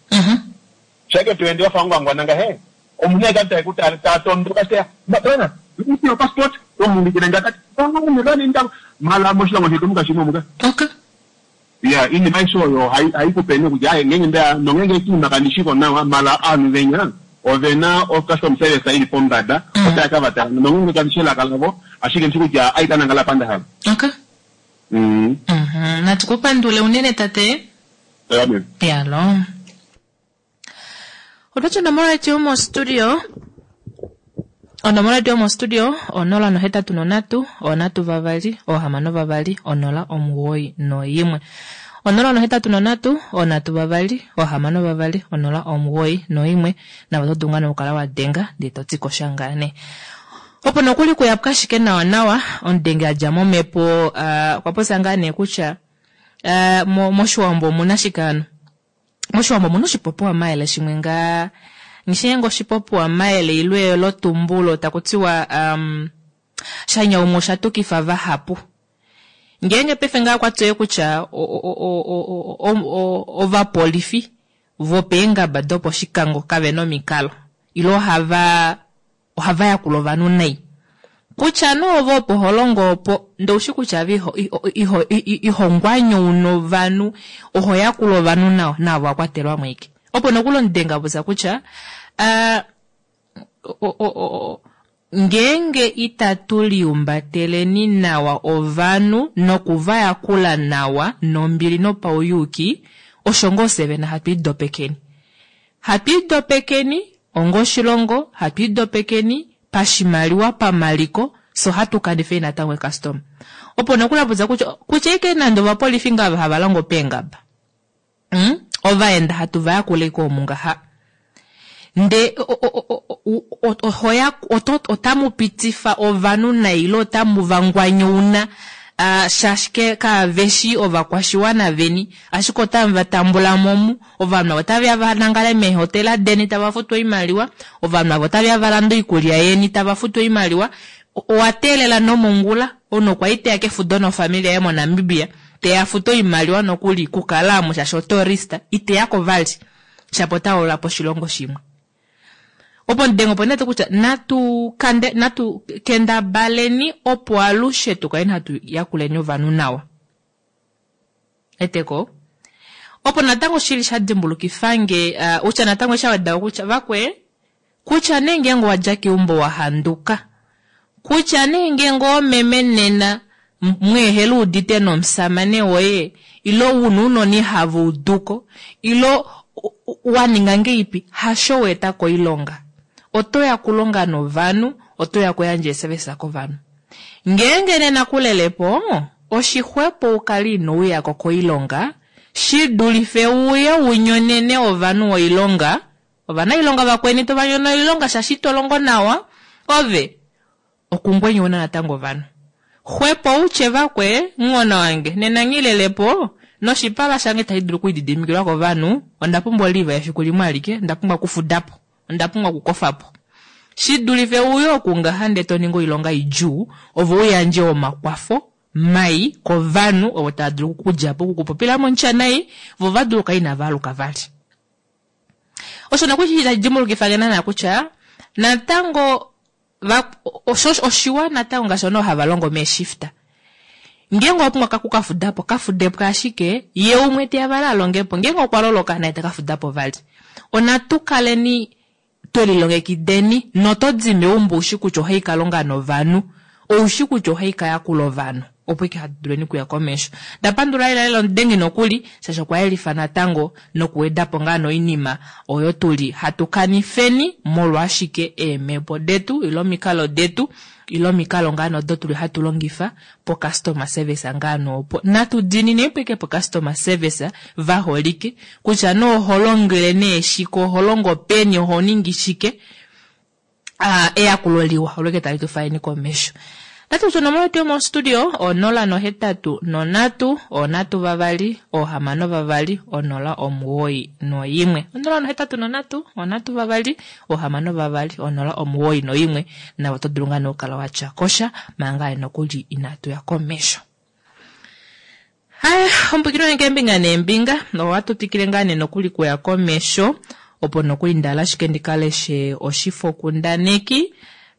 Shaike tuende wafa ngwangwana ngahe omunhu aike tae tatondoka teya bwana your passport tomuulikile ngakati mala moshilongo shetu mukashimo muka. Ya iinima aishe oyo haikupe nee kutya ngeenge nda nongeenge kiima kandi shiko nawa mala ovanhu venya ovena o custom service ili pombada otaya ka vatala nongeenge kandi shi elaka lavo ashike ndishi kutya aikanangala apa ndahala. Natu kupandule unene tate. Amen. Yalo. Otwati onomola yetu yomostudio onomola yetu yomostudio 083 3 6 2 0 91. 083 3 6 2 0 91 navo oto dulu ngaa nokukala wa denga ndee to ti ko sha ngaa nee. Opo nokuli kuyapuka ashike nawa nawa omudenge a dja momhepo okwa popya ngaa nee kutya moshiwambo omuna shike hano? Moshiwambo omuna oshipopiwa mayele shimwe ngaa nghishinge oshipopiwa mayele ile elotumbulo taku tiwa shanyaumwe osha tukifa vahapu. Ngeenge paife ngaa okwa tseya kutya ovapolifi vopeengaba doposhikango kave na omikalo ile ohava ohava yakula ovanhu nai. Kutya nee ove opo ho longo opo ndee oushi kutya ove iho iho ngwanyauna ovanhu oho yakula ovanhu nawa naave owa kwatelwamo ashike. Opo nokuli omudenga popya kutya Ngeenge itatu liumbateleni nawa ovanhu noku va yakula nawa nombili nopauyuuki, osho ngoo fyee vene hatu idopekeni. Hatu idopekeni onga oshilongo, hatu idopekeni pashimaliwa, pamaliko, fye ohatu kanifeni natango eekastoma. Opo nokuli hapupya kutya, kutya ashike nande ovapolifi ngaa ava hava longo peengaba, mm? Ovaenda hatu va yakula ashike omu ngaha. Nde otamu pitifa ovanhu nai ile otamu va ngwanyouna shaashi kaveshi ovakwashiwana veni, ashike otamu va tambula mo omu. Ovanhu avo otave ya va nangale meehotela deni tava futu oimaliwa, ovanhu avo otave ya va lande oikulya yeni tava futu oimaliwa. Owa teelela nomongula omunhu okwa li teya kefudo nofamili yaye moNamibia, teya fute oimaliwa nokuli kukala omu shaashi otourist, iteyako vali shapo ota hoolola po oshilongo shimwe. Opo ndenga opo nee kutya natu kande natu kendabaleni opo alushe tu kaleni hatu yakuleni ovanhu nawa. Eteko. Opo natango shili sha dimbulukifange uh, utya natango sha weda kutya vakwe kutya nee ngeenge owa dja keumbo wa handuka kutya nee ngeenge oomeme nena mweehela udite nomusamane woye ilo una ounona ihava uduko ilo wa ninga ngeipi hasho wa eta koilonga. Oto ya kulonga novanhu, oto ya kuyandja eesevesa kovanhu. Ngeenge nena kulele po, oshixwepo u kale ino uya ko koilonga shi dulife uye u nyonene ovanhu oilonga, ovanailonga vakweni to va nyono oilonga shaashi ito longo nawa, ove okungwenyauna natango ovanhu. Xwepo u tye vakwe, Nghona wange, nena nghi lele po, noshipala shange itashi dulu okulididimikilwa kovanhu, onda pumbwa oliva efiku limwe alike, onda pumbwa okufuda po, onda pumbwa okukofa po. Shi dulife uye oku ngaha ndee to ningi oilonga idjuu, ove u yandje omakwafo mai kovanhu ovo tava dulu oku ku dja po, oku ku popila momutya nai, vo va dulu okukala inava aluka vali. Osho nokuli tashi dimbulukifa nge naana kutya natango va, osho oshiwa natango ngaashi ovanhu hava longo meeshifta. Ngeenge owa pumbwa ku ka fuda po, ka fude po ashike, ye umwe teya vali a longe po. Ngeenge okwa loloka naye ta ka fuda po vali. Onatu kaleni twe lilongekideni noto di meumbo u shi kutya ohai ka longa novanhu, ou shi kutya ohai ka yakula ovanhu, opo ike hatu duleni okuya komesho. Nda pandula lela lela omudengi nokuli, shaashi okwa yelifa natango nokuweda po ngaa noinima oyo tu li hatu kanifeni molwa ashike eemhepo detu ile omikalo detu ile omikalo ngaa odo tu li hatu longifa po-customer service ngaa noopo. Natu diinine po ike po-customer service va holike, kutya nee oho longele nee shike, oho longo peni, oho ningi shike, ah, eyakulo liwa olo ike tali tu faleni komesho. Natu kutya onomola yetu yomostudio onola nohetatu nonhatu onhatu vavali ohamano vavali onola omuwoi noimwe onola nohetatu nonhatu onhatu vavali ohamano vavali onola omuwoi noimwe navo oto dulu ngaa nee okukala wa tya kosha manga nokuli inatu ya komesho. Haya, ombwikilo yange keembinga neembinga, ohatu twikile ngaa nee nokuli kuya komesho, opo nokuli nda ashike ndi ka leshe oshifokundaneki,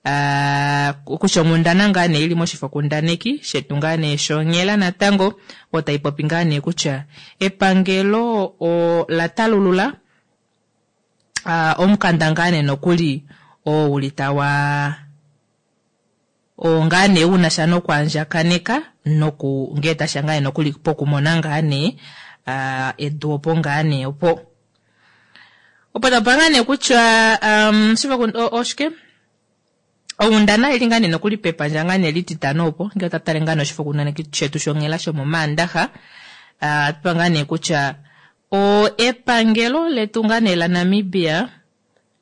uh, kutya onghundana ngaa nee ili moshifokundaneki shetu ngaa nee shonghela natango, oyo tai popi ngaa nee kutya epangelo ola talulula uh, omukanda ngaa nee nokuli oo uli tawa Oo ngaa nee u na sha nokwaandjakaneka noku ngee tashi ya ngaa nee nokuli pokumona ngaa nee edu opo ngaa nee opo. Opo tapa ngaa nee kutya um, oshike onghundana ili ngaa nee nokuli pepandja ngaa nee lititano opo ngee otatu tale ngaa nee oshifokundaneki shetu shonghela shomomaandaxa uh, ngaa nee kutya o epangelo letu ngaa nee laNamibia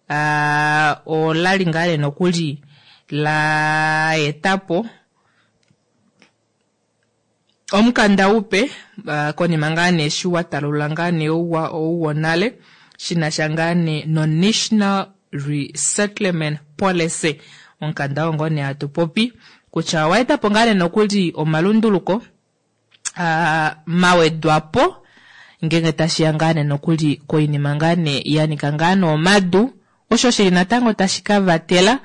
A Ola li ngaa nee nokuli la eta po omukanda upe konima ngaa nee eshi wa talulula ngaa nee ouwa ou wonale shi na sha ngaa nee noNational Resettlement Policy. Omukanda oo ngoo nee hatu popi kutya owa eta po ngaa nee nokuli omalunduluko a mawedwa po ngeenge tashi ya ngaa nee nokuli koinima ngaa nee ya nika ngaa nee omadu, osho shili natango tashi ka vatela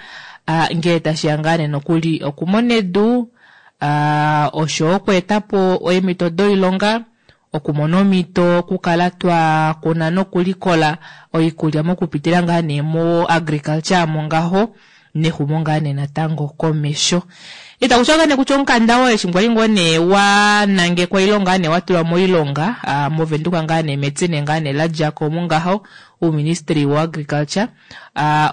ngee tashi ya ngaa nee nokuli okumona edu, osho okweeta po eemhito doilonga, okumona omhito okukala twa kuna nokulikola oikulya mokupitila ngaa nee mo agriculture mo ngaho. Nexumo ngaa nee natango komesho. Itaku tiwa ngaa nee kutya omukanda oo eshi kwali ngoo nee wa nangekwa ile ngaa nee wa tulwa moilonga moVenduka ngaa nee metine ngaa nee la dja ko mungaho ouministry wo agriculture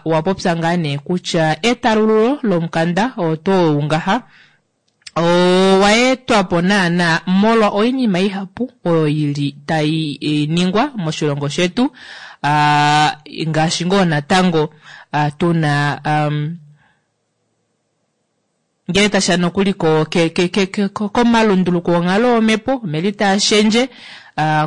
owa popya ngaa nee kutya etalululo lomukanda oo tuu ngaha owa etwapo naana molwa oinima ihapu oyo ili tai ningwa moshilongo shetu ngaashi ngoo natango tuna ngele tasha nokuli komalunduluko onghalo yomhepo omeli taashendje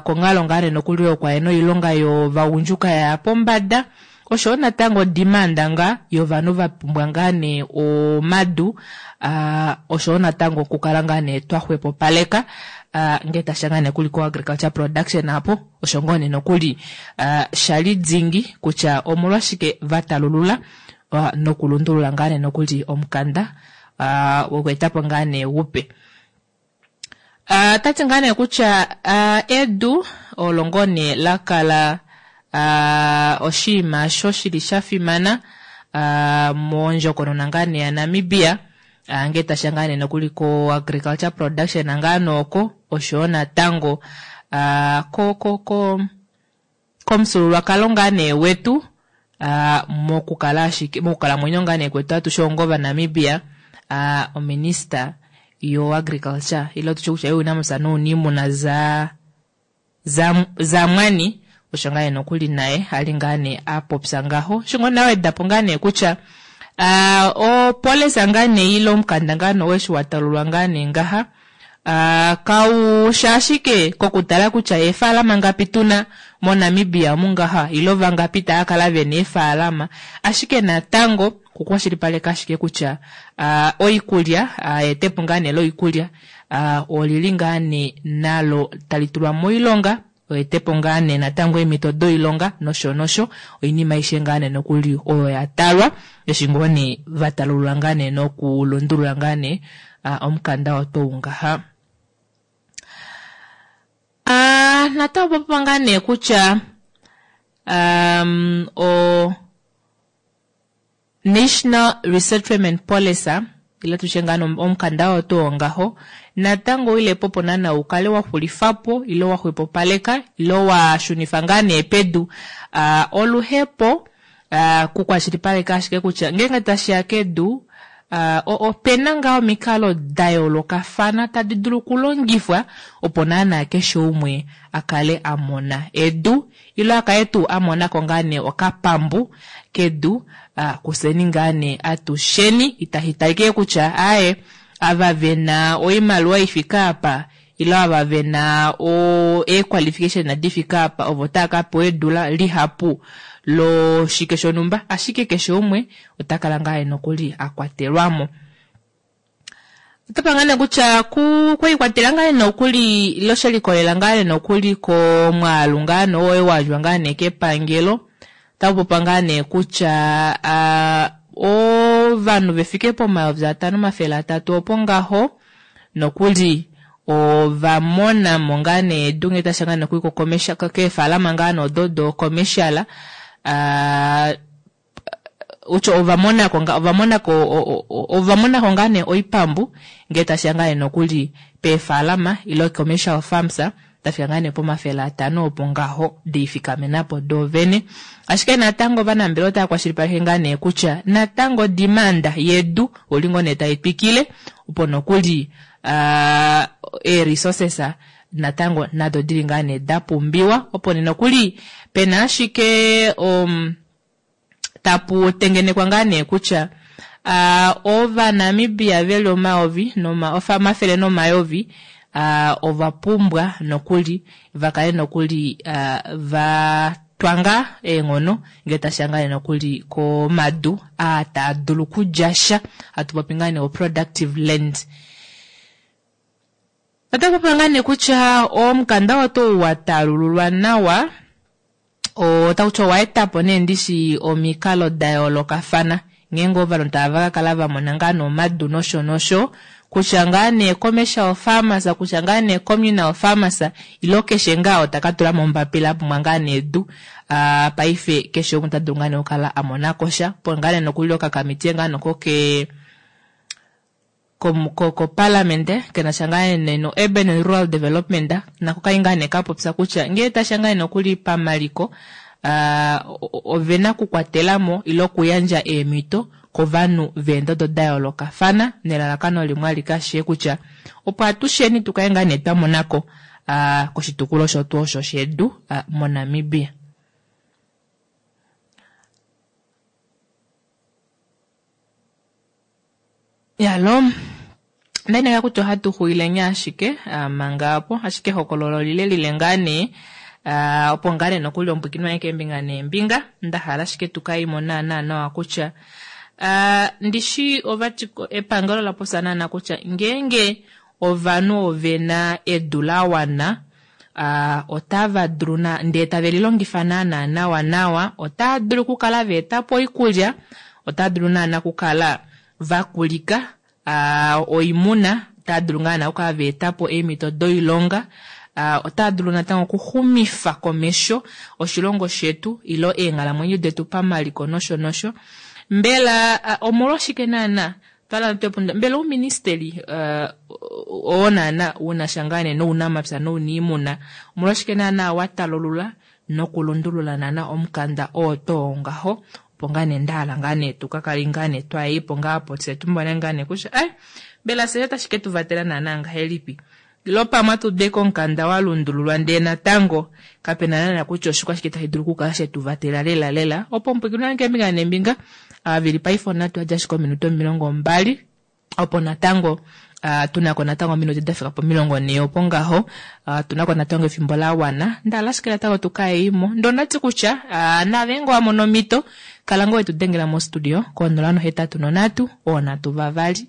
konghalo ngaa nee nokuli yokwahena oilonga yovagundjuka yaya pombada oshoyo natango demand ngaa yovanhu vapumbwa ngaa nee omadu oshoyo natango okukala ngaa nee twaxwepopaleka ngee tasha ngaa nee kuli ko agriculture production apo osho ngoo nee nokuli shali dingi kutya omolwashike vatalulula nokulundulula ngaa nee nokuli omukanda wokweetapo ngaa nee upe. Tati ngaa nee kutya edu olo ngoo nee lakala oshinima osho shili shafimana mondjokonona ngaa nee yaNamibia ngee tasha ngaa nee nokuli ko agriculture production ngaa nooko oshoyo natango komufyuululwakalo ngaa nee wetu mokukala ashike mokukalamwenyo ngaa nee kwetu atushe onga ovaNamibia ominista yo agriculture ile tutye kutya younamapya nouniimuna zamwani osho ngaa nee nokuli naye ali ngaa nee apopya ngaho osho ngoo nee awedapo ngaa nee kutya opolisa ngaa nee ile omukanda ngaa nee weshi watalulwa ngaa nee ngaha kausha ashike kokutala kutya eefalama ngapi tuna moNamibia omungaha ile vangapi taya kala vena eefalama ashike natango kukwashilipaleka ashike kutya oikulya etepo ngaa nee loikulya olili ngaa nee nalo tali tulwa moilonga oetepo ngaa nee natango eemhito doilonga nosho nosho oinima aishe ngaa nee nokuli oyo yatalwa eshi ngoo nee vatalulula ngaa nee nokulundulula ngaa nee omukanda otou ngaha. Natango popiwa ngaa nee kutya o National Resettlement Policy ile tutye ngaa omukanda oo tuu ngaho natango ile popo naana ukale waxulifapo ile waxwepopaleka ile washunifa ngaa nee pedu oluhepo kukwashilipaleka ashike kutya ngeenge tashiya kedu opena ngaa omikalo dayoolokafana tadi dulu okulongifwa opo naana keshe umwe akale amona edu ile akale tuu amonako ngaa nee okapambu kedu kuseni ngaa nee atusheni itahitalike kutya aaye ava vena oimaliwa ifika apa ile ava vena e-qualification difika apa ovo tava kapewa edu lihapu loshike shonhumba ashike keshe umwe otakala ngaa nokuli akwatelwamo. Otapa ngaa nee kutya kwiikwatela ngaa nokuli ile shelikolela ngaa nokuli komwaalu ngaa nee oyo wandjwa ngaa nee kepangelo otakupopiwa ngaa nee kutya ovanhu vefike po5 300 opo ngaho nokuli ovamonamo ngaa nee edu ngee tasha ngaa nokuli keefalama ngaa nee odo do commercial utyo ovamonako ngaa nee oipambu ngee tasha ngaa nee nokuli peefalama ile commercial farms tafika ngaa nee po500 opo ngaho diifikamenapo doovene. Ashike natango ovanambelewa otava kwashilipaleke ngaa nee kutya natango demand yedu oli ngoo nee tai twikile opo nokuli ee-resources natango nado dili ngaa nee dapumbiwa opo nee nokuli pena ashike tapu tengenekwa ngaa nee kutya ovanamibia veli omayovi omafele nomayovi ovapumbwa nokuli vakale nokuli vatwanga eenghono ngee tashiya ngaa nee nokuli komadu aa taa dulu okulya sha hatu popi ngaa nee o-productive land. Otaku popiwa ngaa nee kutya omukanda oo tuu watalululwa nawa otakuti owaetapo nee ndishi omikalo dayoolokafana ngeenge ovanhu tava kakala vamona ngaa nee omadu nosho nosho. Kutya ngaa nee commercial farmers, kutya ngaa nee communal farmers, ilo keshe ngaa oo taka tula mo ombapila a pumbwa ngaa nee edu. Paife keshe umwe ota dulu ngaa nee okukala a mona ko sha. Opo ngaa nee nokuli okakamitiye ngaa nokoke koparliament kenasha ngaa nee no urban and rural development nako kai ngaa nee kapopya kutya ngee tasha ngaa nee nokuli pamaliko ovena okukwatelamo ile okuyandja eemhito kovanhu veendodo da yoolokafana nelalakano limwe alike ashike kutya opo atusheni tukale ngaa nee twa monako koshitukulwa osho tuu osho shedu moNamibia. Yalo, ndaineka kutya ohatu xuwileni ashike manga opo, ashike ehokololo olile lile ngaa nee, opo ngaa nee nokuli ompwikinwa ye keembinga neembinga, nda hala ashike tu ka imo naana nawa kutya ndishi ovati epangelo la popya naana kutya ngeenge ovanhu ovena edu la wana otava dulu ndee tave lilongifa naana nawa nawa, otava dulu okukala va eta po oikulya, otava dulu naana okukala va kulika oimuna, otava dulu ngaa naana okukala va eta po eemhito doilonga, otava dulu natango okuxumifa komesho oshilongo shetu ile eenghalamwenyo detu pamaliko nosho nosho. Mbela omolwashike naana Twala twepunda mbela ouministeli oo naana unasha ngaa nee nounamapya nouniimuna omolwashike naana wa talulula nokulundulula naana omukanda oo too ngaho opo ngaa nee nda hala ngaa nee tu ka kale ngaa nee twayeipo ngaa po tse tumone ngaa nee kutya ai mbela fye otashi ke tu vatela naana ngahelipi Ile pamwe atu ude komukanda wa lundululwa ndee natango kape na naana kutya oshikwashike tashi dulu okukala she tu vatela lela lela. Opo omupwiikini wange keembinga neembinga, avili paife onhatu yadja ashike ominute 20 opo natango tu na ko natango ominute da fika pomilongo nhee opo ngaho tu na ko natango efimbo la wana. Nda hala ashike natango tu ka yeimo. Ndee ondati kutya naave ngee owa mono omhito kala ngoo wetu dengela mostudio ko 083 3 6 2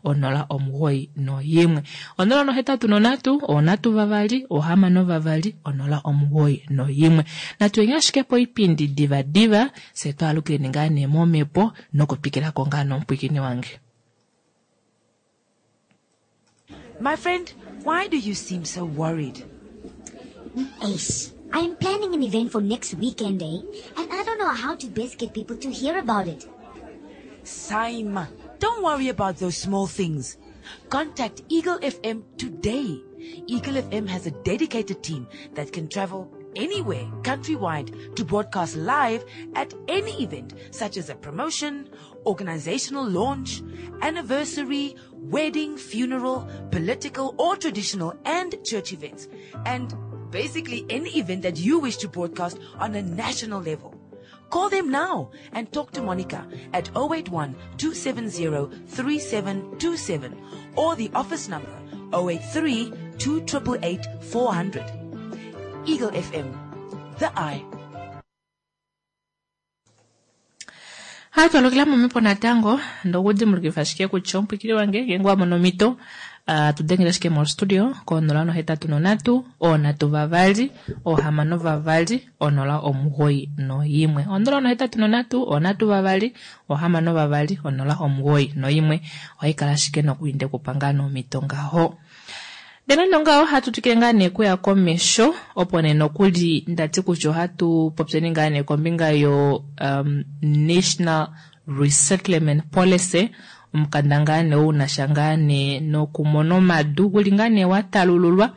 091. 083 3 6 2 091. Natu yeni ashike poipindi diva diva, fye twaalukileni ngaa nee momhepo nokutwikilako ngaa nomupwiikini wange. My friend, why do you seem so worried? Ace, I am planning an event for next weekend, eh? And I don't know how to best get people to hear about it. Saima, don't worry about those small things. Contact Eagle FM today. Eagle FM has a dedicated team that can travel anywhere countrywide to broadcast live at any event such as a promotion, organizational launch, anniversary, wedding, funeral, political or traditional and church events, and basically any event that you wish to broadcast on a national level. Call them now and talk to Monica at 081 270 3727 or the office number 083 288 400. Eagle FM, the eye. Hatu alukila momhepo natango ndokudimbulukifa ashike kutya omupwikili wange ngeenge wa mono omhito tu dengele ashike mostudio ko 083 3 6 2 091. 083 3 6 2 091. Ohai kala ashike nokuinde kupa ngaa nomhito ngaho. Ndele nande ongaho ohatu twikile ngaa nee kuya komesho opo nee nokuli ndati kutya ohatu popyeni ngaa nee kombinga yo um, National Resettlement Policy omukanda ngaa nee ou nasha ngaa nee nokumona omadu guli ngaa nee wa talululwa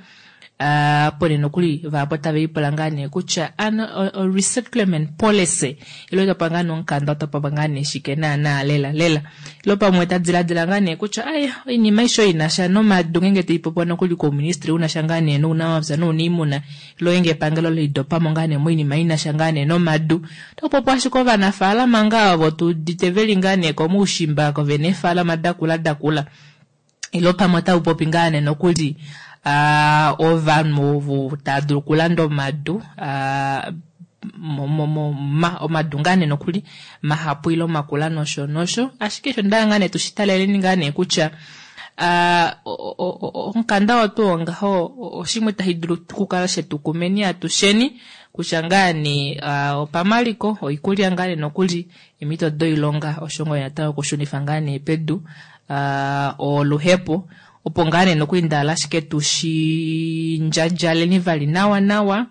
Uh, po nee nokuli vahapu otave lipula ngaa nee kutya ano resettlement policy ilo otapa ngaa nee omukanda otapa ngaa nee shike naanaa lela lela ilo pamwe ta diladila ngaa nee kutya ai oinima aishe oyo inasha nomadu ngeenge taipopiwa nokuli kouministry unasha ngaa nee nounamapya nouniimuna ilo ngeenge epangelo lidopamo ngaa nee moinima inasha ngaa nee nomadu otakupopiwa ashike ovanafaalama ngaa ovo tuudite veli ngaa nee komaushimba ko vena eefaalama dakula dakula ilo pamwe otau popi ngaa nee nokuli ovanhu ovo tava dulu okulanda omadu omadu ngaa nee nokuli mahapu ile makula nosho nosho ashike osho ndaa ngaa nee tushi taleleni ngaa nee kutya omukanda oo tuu ngaho oshimwe tashi dulu okukala shetu kumeni atusheni kutya ngaa nee opamaliko oikulya ngaa nee nokuli eemhito doilonga osho ngoo natango okushunifa ngaa nee pedu. Oluhepo opo ngaa nee nokuli ndahala ashike tushi ndjadjaleni vali nawa nawa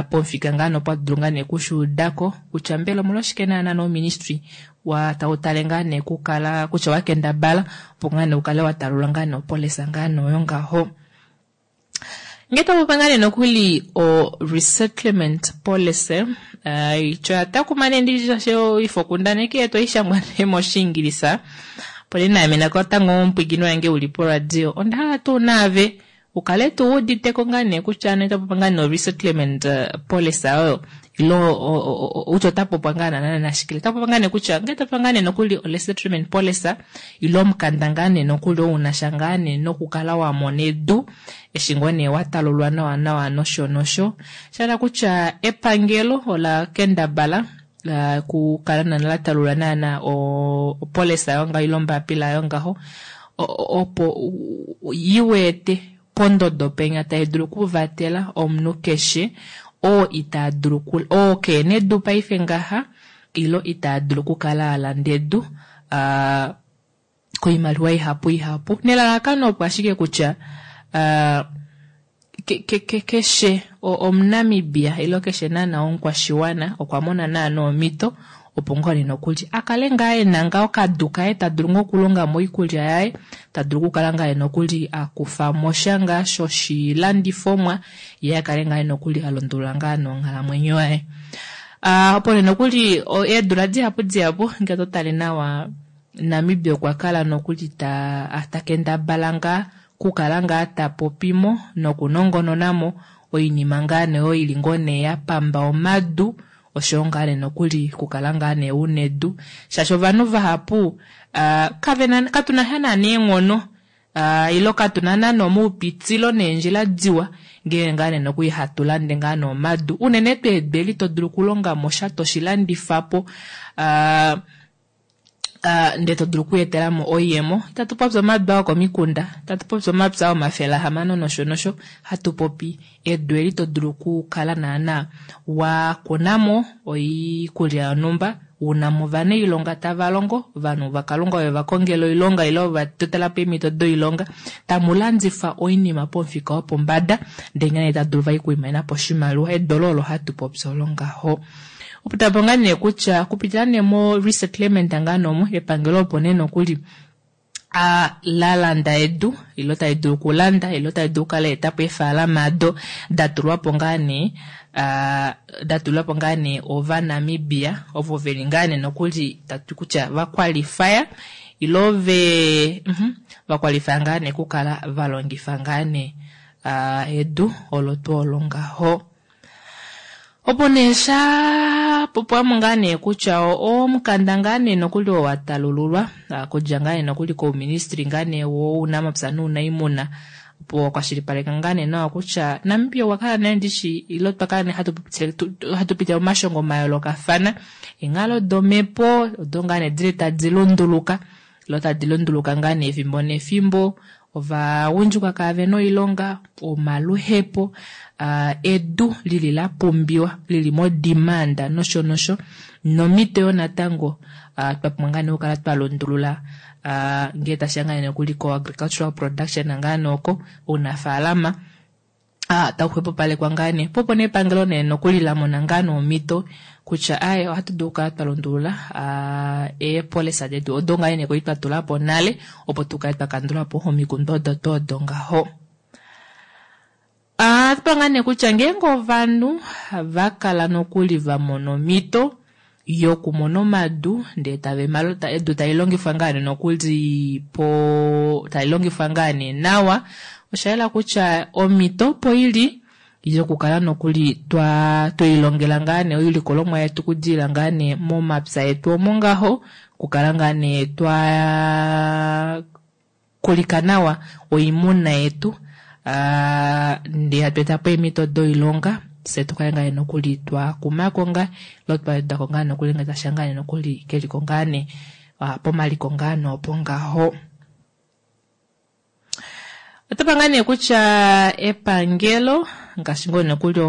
pomufika ngaa nee opo hatu dulu ngaa nee okushuudako kutya mbela omolwashike naana nouministry wa tau tale ngaa nee kukala kutya wakendabala opo ngaa nee ukale watalula ngaa nee opolisa ngaa nee oyo ngaho. Ngee twapopi ngaa nee nokuli o resettlement policy ityo oyatakuma nee nditye shaashi oifokundaneki yetu ohaishangwa nee moshiingilisa opo nee naame natango omupwiikini wange uli poradio ondahala tuu naave ukale tuu wuuditeko ngaa nee kutya nee otapopi ngaa nee o-resettlement policy oyo ilo kutya otapopwa ngaa naana nashike. Otapopi ngaa nee kutya ngee tapopi ngaa nee nokuli o-resettlement policy ilo omukanda ngaa nee nokuli oo unasha ngaa nee nokukala wamona edu eshi ngoo nee watalulwa nawa nawa nosho nosho. Shahala kutya epangelo ola kendabala kukala naana latalula naana opolisa yongaho ile ombapila yongaho opo iweete pondodo penya tai dulu okuvatela omunhu keshe oo ita dulu oo keena edu paife ngaha ilo ita dulu okukala alanda edu koimaliwa ihapu ihapu nelalakano opo ashike kutya keshe omunamibia ilo keshe naana omukwashiwana okwa mona naana omhito opo ngoo nee nokuli akale ngaa ena ngaa okadu kaye tadulu ngoo okulonga moikulya yaye tadulu okukala ngaa nokuli akufamo sha ngaa shoshilandifomwa yee akale ngaa nokuli alundulula ngaa nonghalamwenyo yaye. Opo nee nokuli eedula dihapu dihapu ngee totale nawa Namibia okwa kala nokuli takendabala ngaa kukala ngaa tapopimo nokunongononamo oinima ngaa nee oyo ili ngoo nee yapamba omadu oshoyo ngaa nee nokuli kukala ngaa nee una edu shaashi ovanhu vahapu kavena katuna sha naana eenghono ilo katuna naana omaupitilo neendjila diwa ngee ngaa nee nokuli hatu lande ngaa nee omadu unene tuu edu eli todulu okulongamo sha toshilandifapo ndee todulu okweetelamo oiyemo. Itatu popi omadu okomikunda, itatu popi omapya 600 nosho nosho, hatu popi edu eli todulu okukala naana wakunamo oikulya yonhumba, unamo ovanailonga tava longo, ovanhu vakalunga ove vakongela oilonga ile ovatotelapo eemhito doilonga, tamulandifa oinima pomufika wopombada ndee ngene tadulu vali okwiimonenapo oshimaliwa. Edu olo olo hatu popi olo ngaho. Opo tapo ngaa nee kutya okupitila nee mo resettlement ngaa noomo epangelo opo nee nokuli lalanda edu ilo tali dulu okulanda ilo tali dulu okukala etapo eefaalama ado datulwapo ngaa nee datulwapo ngaa nee ovanamibia ovo veli ngaa nee nokuli tatu kutya vakwalifaya ilo ve vakwalifaya ngaa nee okukala valongifa ngaa nee edu olo tuu olo ngaho. Opo nee sha popwamo ngaa nee kutya omukanda ngaa nee nokuli oo watalululwa okudja ngaa nee nokuli kouministry ngaa nee wounamapya nounaimuna opo wakwashilipaleka ngaa nee nawa kutya Namibia okwa kala nee ndishi ilo twa kala nee hatu pitile momashongo mayoolokafana eenghalo domhepo odo ngaa nee dili tadi lunduluka ilo tadi lunduluka ngaa nee efimbo nefimbo ovagundjuka kaavena oilonga omaluhepo edu lili lapumbiwa lili modemand nosho nosho nomito yoo natango twapumbwa ngaa nee okukala twalundulula ngee tashiya ngaa nee nokuli ko agricultural production ngaa nee oko ounafaalama tau xwepopalekwa ngaa nee po opo nee epangelo nee nokuli lamona ngaa nee omhito kutya aaye ohatu dulu okukala twa lundulula eepolisa detu odo ngaa nee kwali twa tulapo nale opo tukale twa kandulapo omikundu odo tuu odo ngaho. Ohatu ngaa nee kutya ngeenge ovanhu vakala nokuli vamona omhito yokumona omadu ndee tave edu tali longifwa ngaa nee nokuli po tali longifwa ngaa nee nawa oshayela kutya omhito opo ili yokukala nokuli twelilongela ngaa nee oilikolomwa yetu okudilila ngaa nee momapya etu omo ngaho okukala ngaa nee twa kulika nawa oimuna yetu ndee hatu etapo eemhito doilonga fye tukale ngaa nee nokuli twakumako ngaa ilo twawedako ngaa nokuli ngee tashiya ngaa nee nokuli keliko ngaa nee pomaliko ngaa nee opo ngaho. Otapa ngaa nee kutya epangelo ngaashi ngoo nokuli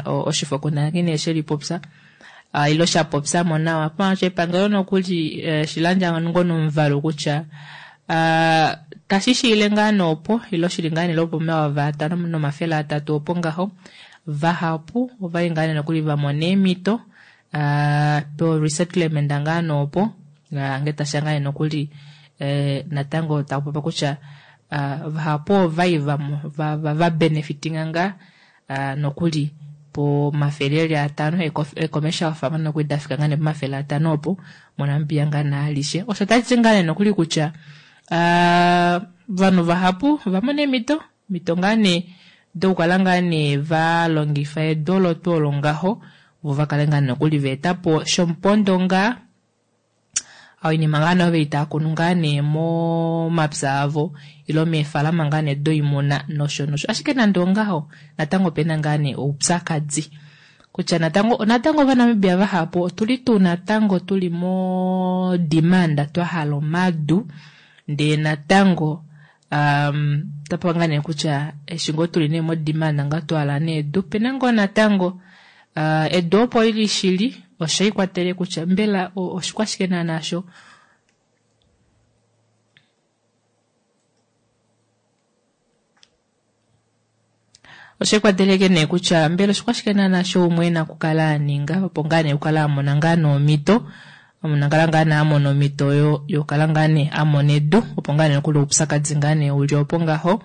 oshifokundaneki nee shelipopya ilo shapopyamo nawa paasho epangelo nokuli shilandja ngoo nomuvalu kutya Tashi shiile ngaa nee opo ile shili ngaa nee lwopomayovi atano nomafele atatu opo ngaho, vahapu ovali ngaa nee nokuli vamona eemhito po resettlement ngaa nee opo ngee tashiya ngaa nee nokuli natango takupopiwa kutya vahapu ovai va benefitinga ngaa nokuli pomafele eli atano eecommercial farm nokuli dafika ngaa nee pomafele atano opo moNamibia ngaa nee alishe. Osho tashiti ngaa nee nokuli kutya ovanhu vahapu ovamona eemhito mhito ngaa nee dokukala ngaa nee valongifa edu olo tuu olo ngaho vo vakale ngaa nokuli vaetapo shomupondo ngaa oinima ngaa nee ove itaakunu ngaa nee momapya avo ile meefalama ngaa nee doimuna nosho nosho. Ashike nande ongaho natango opena ngaa nee oupyakadi kutya natango natango Ovanamibia vahapu otuli tuu natango tuli mo demand twahala omadu ndee natango otapewa ngaa nee kutya eshi ngoo tuli nee mo demand ngaa twahala nee edu pena ngoo natango edu opo lili shili oshaikwatele kutya mbela oshikwashike naana sho oshaikwateleke nee kutya mbela oshikwashike naana sho umwe ena okukala aninga opo ngaa nee okukala amona ngaa nomhito omunhu ngaa nee amona omhito yokukala ngaa nee amona edu opo ngaa nee nokuli oupyakadi ngaa nee uli opo ngaho.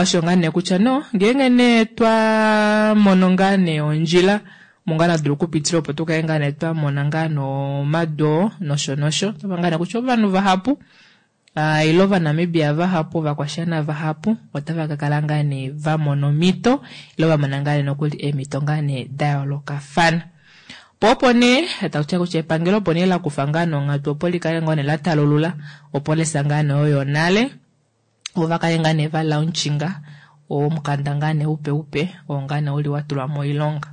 Osho ngaa nee kutya no ngeenge nee twamono ngaa nee ondjila omo ngaa nadulu okupitila opo tukale ngaa nee twamona ngaa nomadu oo nosho nosho. Otapa ngaa nee kutya ovanhu vahapu ile Ovanamibia vahapu ovakwashiwana vahapu otava kakala ngaa nee vamona omhito ile vamona ngaa nee nokuli eemhito ngaa nee dayoolokafana. Po opo nee takutya kutya epangelo opo nee lakufa ngaa nonghatu opo likale ngoo nee latalulula opo lesa ngaa nee oyo nale vo vakale ngaa nee valaunchinga omukanda ngaa nee upe upe oo ngaa nee uli watulwa moilonga.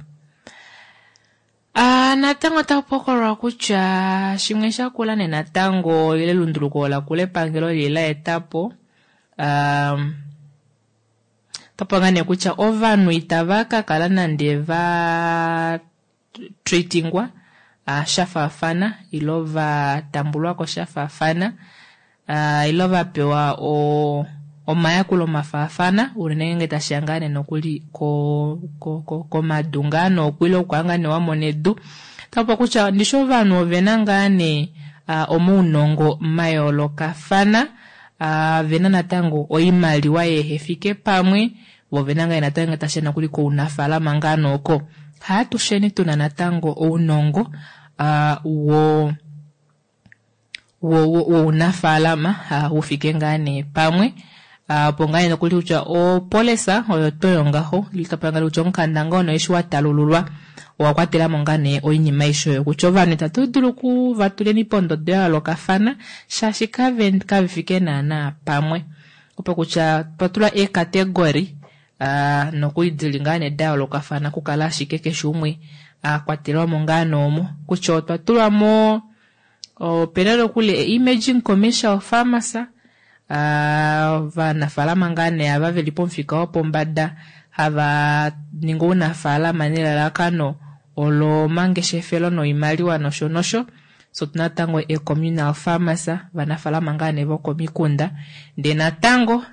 Natango otaku hokololwa kutya shimwe shakula nee natango ile elunduluko lakula epangelo lili laetapo otapopiwa ngaa nee kutya ovanhu itava kakala nande va treatingwa shafaafana ile vatambulwako shafaafana ile vapewa omayakulo mafaafana unene ngeenge tashiya ngaa nee nokuli komadu ngaa nee ile okukala ngaa nee wamona edu. Otakupopiwa kutya ndishi ovanhu ovena ngaa nee omaunongo mayoolokafana vena natango oimaliwa yehefike pamwe vo ovena ngaa natango tashiya nokuli kounafalama ngaa nooko haatusheni tuna natango ounongo wounafalama ufike ngaa nee pamwe opo ngaa nee nokuli kutya opolisa oyo toyo ngaho litapanga kutya omukanda ngoo nee eshi watalululwa owa kwatelamo ngaa nee oinima aishe oyo kutya ovanhu itatu dulu okuvatuleni pondodo ya yoolokafana shaashi kavefike naana pamwe opo kutya twatula eekategori nokuli dili ngaa nee dayoolokafana okukala ashike keshe umwe akwatelwamo ngaa noomo kutya otwa tulwamo opena nokuli emerging commercial farmers ovanafalama ngaa nee ava veli pomufika wopombada hava ningi ounafalama nelalakano olo mangeshefelo noimaliwa nosho nosho. So natango e-communal farmers vanafalama ngaa nee vokomikunda ndee natango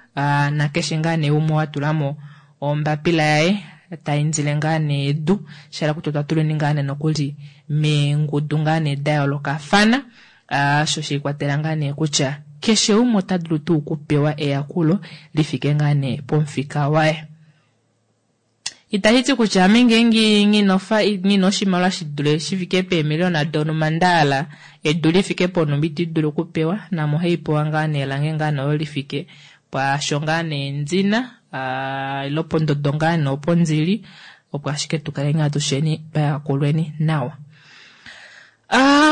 nakeshe ngaa nee umwe watulamo ombapila yaye taindile ngaa nee edu shahala kutya otwa tuleni ngaa nee nokuli meengudu ngaa nee dayoolokafana osho sheikwatela ngaa nee kutya keshe umwe ota dulu tuu okupewa eyakulo lifike ngaa nee pomufika waye. Itashiti kutya ame ngeenge ngina oshimaliwa shidule shifike peemiliona donhumba ndahala edu lifike ponhumba iti dulu okupewa name ohaipewa ngaa nee lange ngaa nee olo lifike pwaasho ngaa nee ndina ile pondodo ngaa nee opo ndili opo ashike tukale ngaa tusheni twayakulweni nawa.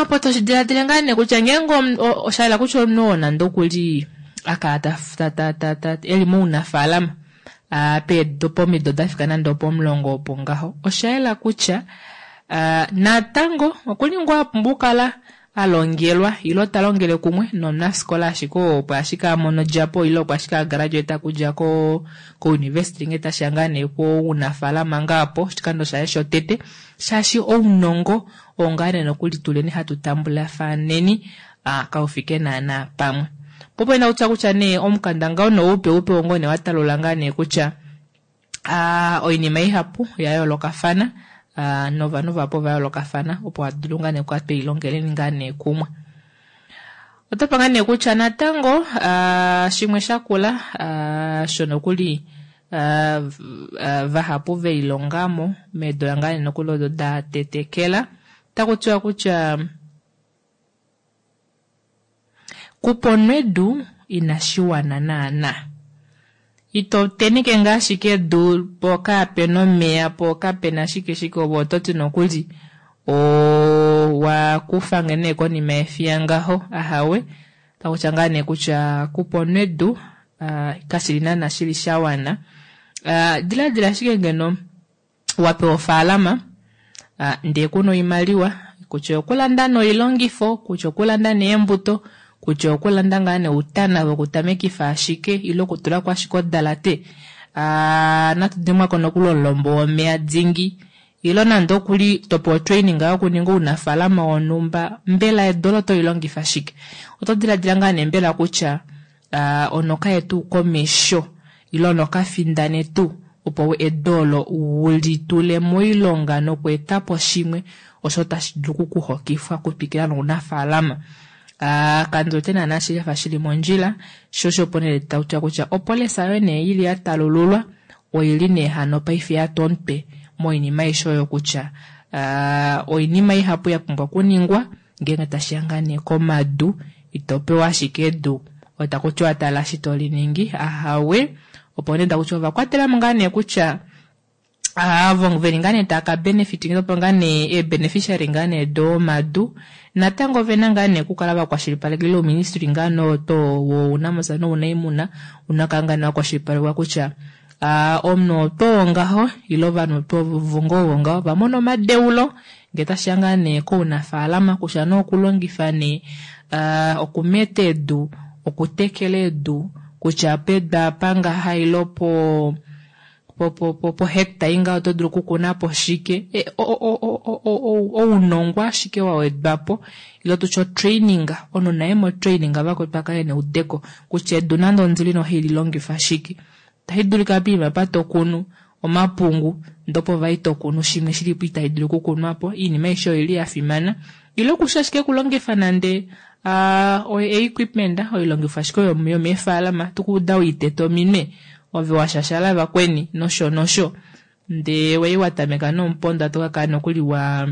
Opo toshidiladile ngaa nee kutya ngeenge oshahala kutya omunhu oo nande okuli akala eli mounafalama pomido dafika nande opomulongo opo ngaho oshayela kutya natango okuli ngoo apumbwa okukala alongelwa ile talongele kumwe nomunafikola ashike opo ashike amono odjapo ile opo ashike agraduate okudja ko-university ngee tashiya ngaa nee kounafalama ngaa po oshikando shaye shotete shaashi ounongo oo ngaa nee nokuli tuleni hatu tambulafaneni kaufike naana pamwe. Po opo ina kutya kutya nee omukanda ngao noupe upe wongo nee watalula ngaa nee kutya oinima ihapu ya yoolokafana novanhu vahapu ova yoolokafana opo hatu dulu ngaa nee okukala twelilongeleni ngaa nee kumwe. Otapa ngaa nee kutya natango shimwe shakula shono kuli vahapu velilongamo meedula ngaa nee nokuli odo da tetekela otaku tiwa kutya kuponwa edu inashi wana naana. Ito teneke ngaa ashike edu po kaapena omeya po kapena shike shike ove oto ti nokuli owa kufa nee konima yefiya ngaho ahawe takutya ngaa nee kutya kuponwa edu kashili naana shili shawana. Diladila ashike ngeno wapewa ofaalama ndee kuna oimaliwa kutya okulanda noilongifo kutya okulanda neembuto kutya okulanda ngaa neutana vokutamekifa ashike ile okutulako ashike odalate natu dimwako nokuli omulombo womeya dingi ile nande okuli topewa otraining yokuninga ounafaalama wonhumba mbela edu olo otolilongifa shike oto diladila ngaa nee mbela kutya onoka tuu komesho ile onoka findane tuu opo edu olo ulitule moilonga nokweetapo shimwe osho tashi dulu okukuhokifwa okutwikila nounafaalama. Kandiwete naana shafa shili mondjila sho osho opo nee takutiwa kutya opolisa oyo nee ili ya talululwa oili nee hano paife yatwa omutwe moinima aishe oyo kutya oinima ihapu ya pumbwa okuningwa ngeenge tashiya ngaa nee komadu ito pewa ashike edu otakutiwa tala eshi toliningi ahawe opo nee takutiwa ovakwatelamo ngaa nee kutya avo veli ngaa nee tava ka benefit opo ngaa nee eebeneficiary ngaa nee domadu natango ovena ngaa nee okukala vakwashilipaleka ile ouministry ngaa nee oto wounamapya nounaimuna una kala ngaa nee wakwashilipalekwa kutya omunhu oto ngaho ile ovanhu oto vongo ngaho vamona omadeulo ngee tashiya ngaa nee kounafaalama kutya nee okulongifa nee okumeta edu okutekela edu kutya pedu apa ngaha ile po po hectare inga oto dulu okukunapo shike ounongo ashike wawedwapo ile tutye otraining omunhu naye mo training vakwetu akale neudeko kutya edu nande ondili nohaili longifa shike tashi dulika poima apa tokunu omapungu ndopo vai tokunu shimwe shilipo itashi dulu okukunwapo oinima aishe oili yafimana ile okusha ashike okulongifa nande equipment oilongifo ashike yomeefaalama tukuuda uiteta ominwe ove washashala vakweni nosho nosho ndee wei watameka nomupondo atokakala nokuli wa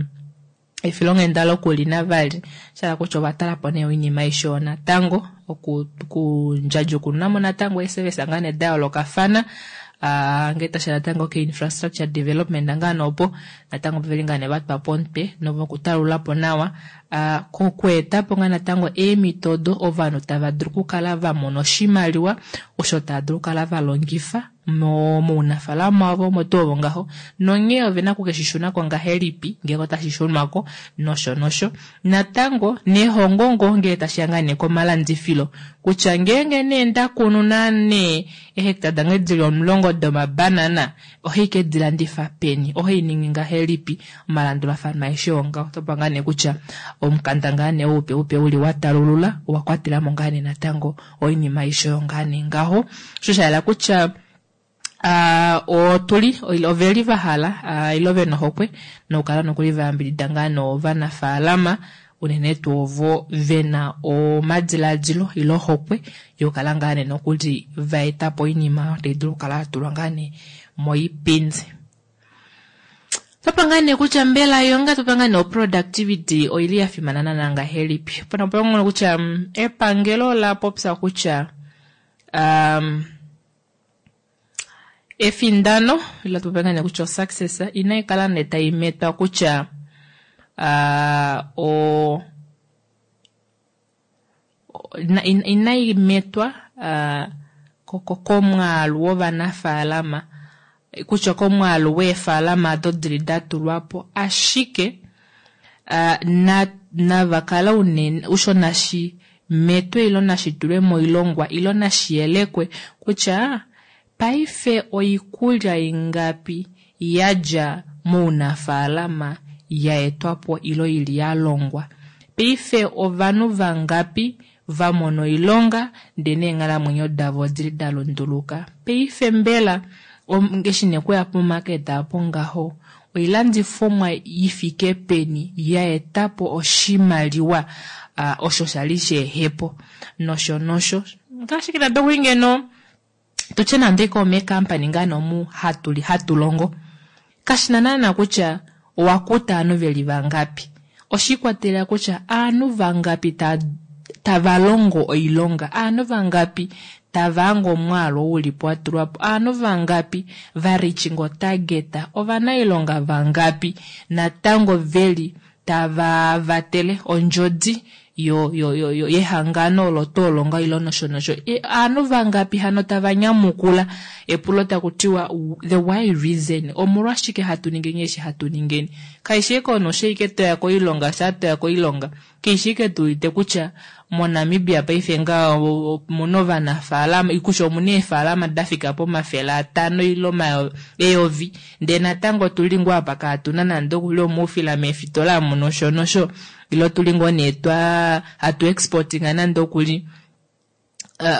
efilonghenda lokulina vali shala kutya ovatalapo nee oinima aishe oyo natango okundjadjukununamo natango eeservice ngaa nee dayoolokafana ngee tashiya natango ke-infrastructure development ngaa nee opo natango veli ngaa nee vatwapo omutwe nokutalulapo nawa kokweetapo ngaa natango eemhito odo ovanhu tava dulu okukala vamona oshimaliwa osho tava dulu okukala valongifa mounafaalama wavo omo tuu ovo ngaho nonghee ovena okukeshishunako ngahelipi ngeenge otashi shunwako nosho nosho natango nehongo ngoo ngee tashiya ngaa nee komalandifilo kutya ngeenge nee ndakunu nee eehecta dange dili 10 domabanana ohai kedilandifa peni ohai ningi ngahelipi omalandulafano aeshe oo ngaho otopa ngaa nee kutya omukanda ngaa nee oupe upe uli watalulula owakwatelamo ngaa nee natango oinima aishe oyo ngaa nee ngaho osho shayela kutya otuli oveli vahala ile vena ohokwe nokukala nokuli vayambidida ngaa novanafaalama unene tuu ovo vena omadiladilo ile ohokwe yokukala ngaa nee nokuli vaetapo oinima tai dulu okukala yatulwa ngaa nee moipindi. Topa ngaa nee kutya mbela yonga topa ngaa nee oproductivity oili yafimana naana ngahelipi pona pongono kutya epangelo la popya kutya efindano ile topa ngaa nee kutya osuccess inaikala nee taimetwa kutya inaimetwa komwaalu wovanafaalama kutya komwaalu weefaalama odo dili datulwapo ashike navakala unene osho nashi metwe ilo nashi tulwe moilongwa ilo nashi yelekwe kutya paife oikulya ingapi yadja mounafaalama yaetwapo ilo ili yalongwa. Paife ovanhu vangapi va mona oilonga ndee neenghalamwenyo davo odili da lunduluka? Paife mbela eshi nee kuya pomarket apo ngaho oilandifomwa ifike peni ya etapo oshimaliwa osho shali shehepo nosho nosho ngaashi nande okuli ngeno tutye nande ike omeekampani ngaa nee omu hatuli hatulongo kashina naana kutya owakuta ovanhu veli vangapi oshiikwatelela kutya ovanhu vangapi tava longo oilonga ovanhu vangapi tava hange omwaalu oo ulipo watulwapo ovanhu vangapi va reaching otarget ovanailonga vangapi natango veli tava vatele ondjodi yo yo yo yehangano olo tuu olo ngaho ile nosho nosho. Ovanhu vangapi hano tava nyamukula epulo taku tiwa the why reason omolwashike hatu ningeni eshi hatu ningeni. Kaishi ashike omunhu osho ashike toya koilonga shaa toya koilonga kaishi ashike tuudite kutya moNamibia paife ngaho omuna ovanafaalama kutya omuna eefaalama dafika pomafele atano ile eyovi ndee natango otuli ngoo apa kaatuna nande okuli omaufila meefitola amu nosho nosho ile otuli ngoo nee twa hatu exportinga nande okuli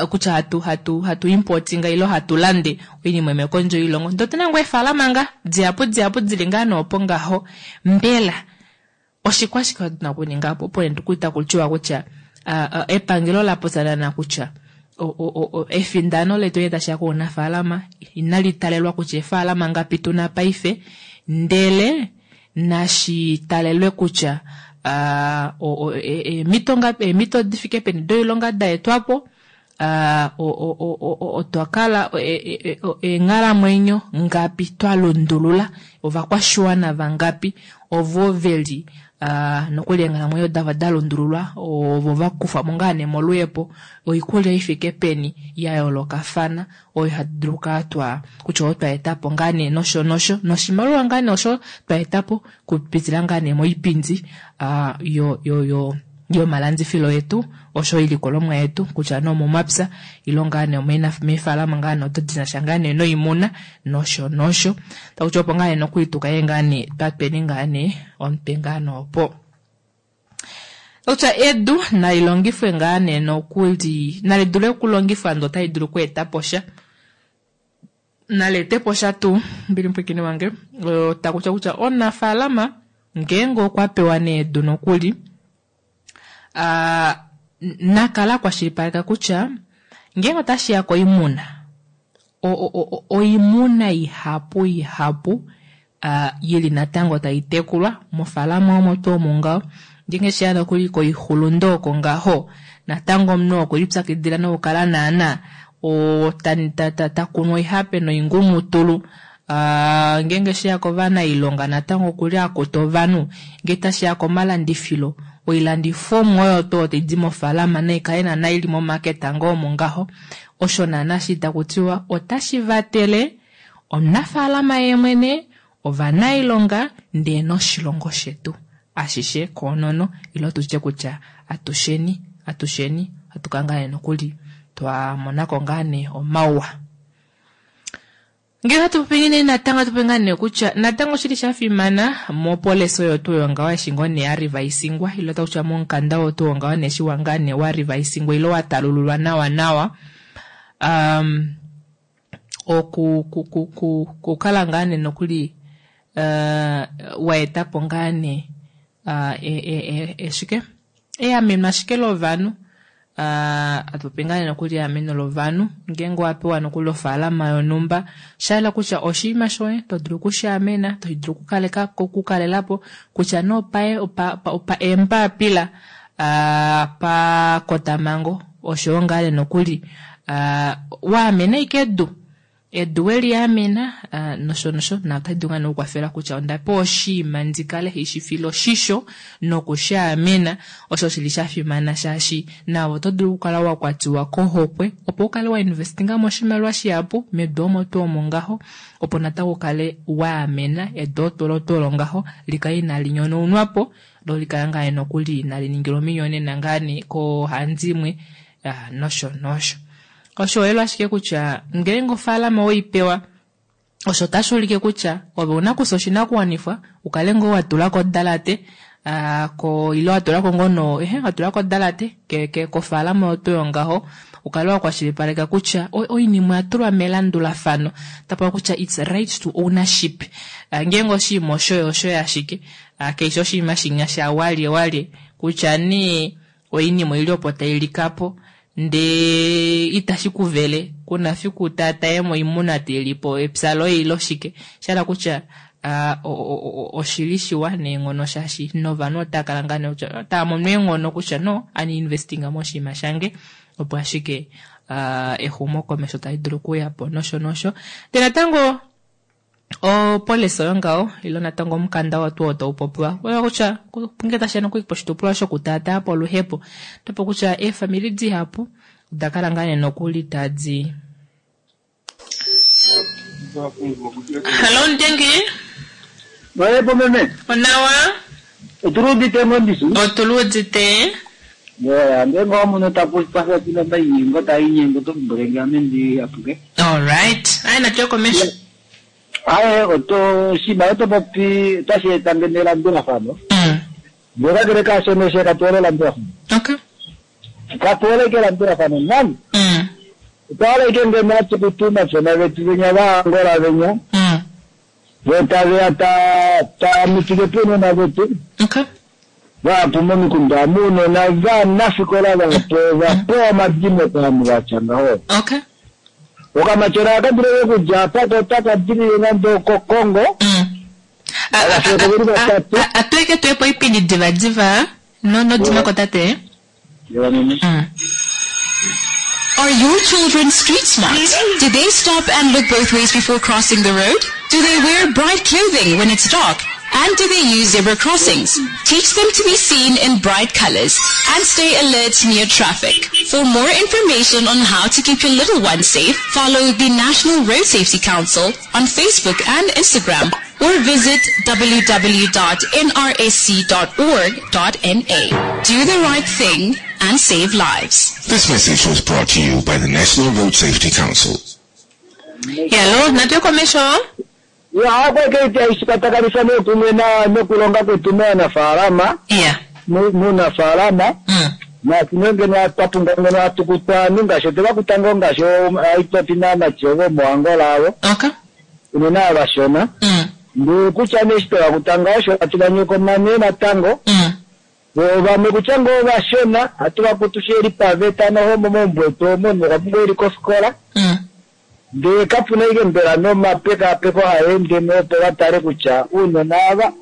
kutya hatu hatu hatu importinga ile hatu lande oinima imwe kondje yoilongo ndee otuna ngoo eefaalama nga dihapu dihapu dili ngaa nee opo ngaho mbela oshikwashike tuna okuninga po opo nee taku tiwa kutya epangelo la popya naana kutya efindano letu ngee tashiya kounafaalama inali talelwa kutya eefaalama ngapi tuna paife ndele nashi talelwe kutya eemhito ngapi eemhito difike peni doilonga daetwapo otwa kala eenghalamwenyo ngapi twa lundulula ovakwashiwana vangapi ovo veli nokuli eenghalamwenyo davo da lundululwa ovo va kufwa mo ngaa nee moluhepo oikulya ifike peni ya yoolokafana oyo hatu dulu okukala twa kutya oyo twa etapo ngaa nee nosho nosho noshimaliwa ngaa nee osho twa etapo kupitila ngaa nee moipindi yo yo yo yomalandifilo yetu osho oilikolomwa yetu kutya nee omomapya ile ngaa nee meefalama ngaa nee odo dinasha ngaa nee noimuna nosho nosho takutya opo ngaa nee nokuli tukale ngaa nee twatweni ngaa nee omutwe ngaa nee opo kutya edu nalilongifwe ngaa nee nokuli nali dule okulongifwa ndee otali dulu okweetapo sha naleetepo sha tuu mbili mupwiikini wange takutya kutya omunafaalama ngeenge okwa pewa nee edu nokuli nakala akwashilipaleka kutya ngeenge otashiya koimuna oimuna ihapu ihapu yili natango taitekulwa mofaalama omo tuu omo ngaho ngeenge sheya nokuli koixulundo oko ngaho natango omunhu okwelipyakidila nokukala naana takunu oihape noingumutulu ngeenge sheya kovanailonga natango okuli akuta ovanhu ngee tashiya komalandifilo oilandifomwa oyo tuu taidi mofaalama naikale naana ili momaketa ngoo omo ngaho osho naana shi takutiwa otashi vatele omunafaalama yeemwene ovanailonga ndee noshilongo shetu ashishe koonono ile tutye kutya atusheni atusheni atukala ngaa nee nokuli twamonako ngaa nee omauwa. Ngele hatu popi nee natango hatu popi ngaa nee kutya natango oshili sha fimana mopolisi oyo tuu yongaho eshi ngoo nee ya rivaisingwa ile takutya momukanda oo tuu wongaho nee eshi ngaa nee wa rivaisingwa ile wa talululwa nawa nawa oku kukala ngaa nee nokuli wa etapo ngaa nee eshike eameno ashike lovanhu atupopi ngaa nee nokuli eameno lovanhu ngeenge owapewa nokuli ofaalama yonhumba shayela kutya oshinima shoye todulu okushaamena todulu okukalelapo kutya nee opa eembapila pakotamango oshoyo ngaa nee nokuli waamena ashike edu edu weliamena nosho nosho na otali dulu ngaa nee okukwafela kutya ondapewa oshinima ndikale haishifile oshisho nokushaamena osho shili shafimana shaashi naave oto dulu okukala wakwatiwa kohokwe opo ukale wa investinga moshimaliwa shihapu medu omo tuu omo ngaho opo natango ukale waamena edu olo tuu olo ngaho likale inali nyonaunwapo lo likale ngaa nee nokuli inali ningilwa ominyonena ngaa nee koohandimwe nosho nosho. Oshiholelwa ashike kutya ngeenge ofaalama weipewa osho otashi ulike kutya ove una kufya oshinakuwanifwa ukale ngoo watulako odalate. Ko ile wa tula ko ngoo no ehe wa tula ko odalate ke ke kofaalama oyo tuu yongaho ukale wa kwashilipaleka kutya oinima oya tulwa melandulafano tapopiwa kutya it's right to ownership. Ngeenge oshinima oshoye oshoye ashike kaishi oshinima shinya sha walye walye kutya nee oinima oili opo tai lika po ndee itashi ku vele kuna fiku taatayemo oimuna tailipo epya loye ile oshike shahala kutya oshili shiwa neenghono shaashi novanhu otava kala ngaa nee kutya otava mono eenghono kutya no ani investinga moshinima shange opo ashike exumokomesho tali dulu okuuya po nosho nosho. Ndee natango opolisi oyo ngaho ile natango omukanda oo tuu oo tau popiwa oyo kutya ngee tashiya nokuli poshitopolwa shokutaataa po oluhepo otopo kutya eefamili dihapu oda kala ngaa nee nokuli tadi Hallo Ndengi. Oyepo meme. Onawa. Otuluudite ngoo Otuluudite. Yeah, ngenge omunhu ta kwafela tuna mainyengo taa inyengo oto lombwele nge ame ndi apuke. Alright. Aye natuye komesho. Aye oto oshinima oto popi otashi eta ngeno elandulafano. Ndele kakele kaashono she katu hole elandulafano. Okay. Katu hole ike elandulafano nani. Otwa hala ike ngeno hatu kutu omatyona vetu venya vaAngola venya. Vo taveya ta ta mitike pounona vetu. Okay. Vahapu momikunda omu ounona vanafikola vahapu ova pewa omadimo kovanhu vatya ngaho. Okay. Okamatyona aka dulu eke okudja apa ko otaka dilile nande okoKongo. Ovafiyeko veli vatatu. Atu eke tuye poipindi divadiva no nodimako tate. Are your children street smart? Do they stop and look both ways before crossing the road? Do they wear bright clothing when it's dark? And do they use zebra crossings? Teach them to be seen in bright colors and stay alert near traffic. For more information on how to keep your little ones safe, follow the National Road Safety Council on Facebook and Instagram or visit www.nrsc.org.na. Do the right thing and save lives. This message was brought to you by the National Road Safety Council. Hello, natuye komesho. Ya, akweke ishikwatakanisa nekumwe na nokulonga kwetu meanafaalama yeah. muunafaalama naasino ngeno twa pumbwa ngeno hatu kutu aanhu ngaashi otwe va kuta ngoo ngaashi aitopi naamati ovo moAngola avo okay. unene avashona ndee kutya nee eshi twe va kuta ngaho osho hatu va nyokoma nee natango vo vamwe kutya ngoo ovashona hatu va kutu sheli paveta noho momaumbo etu omo omunhu okwa pumbwa eli kofikola ndee kapuna ike mbela nomapekaapeko haa ende mo opo va tale kutya ounona ava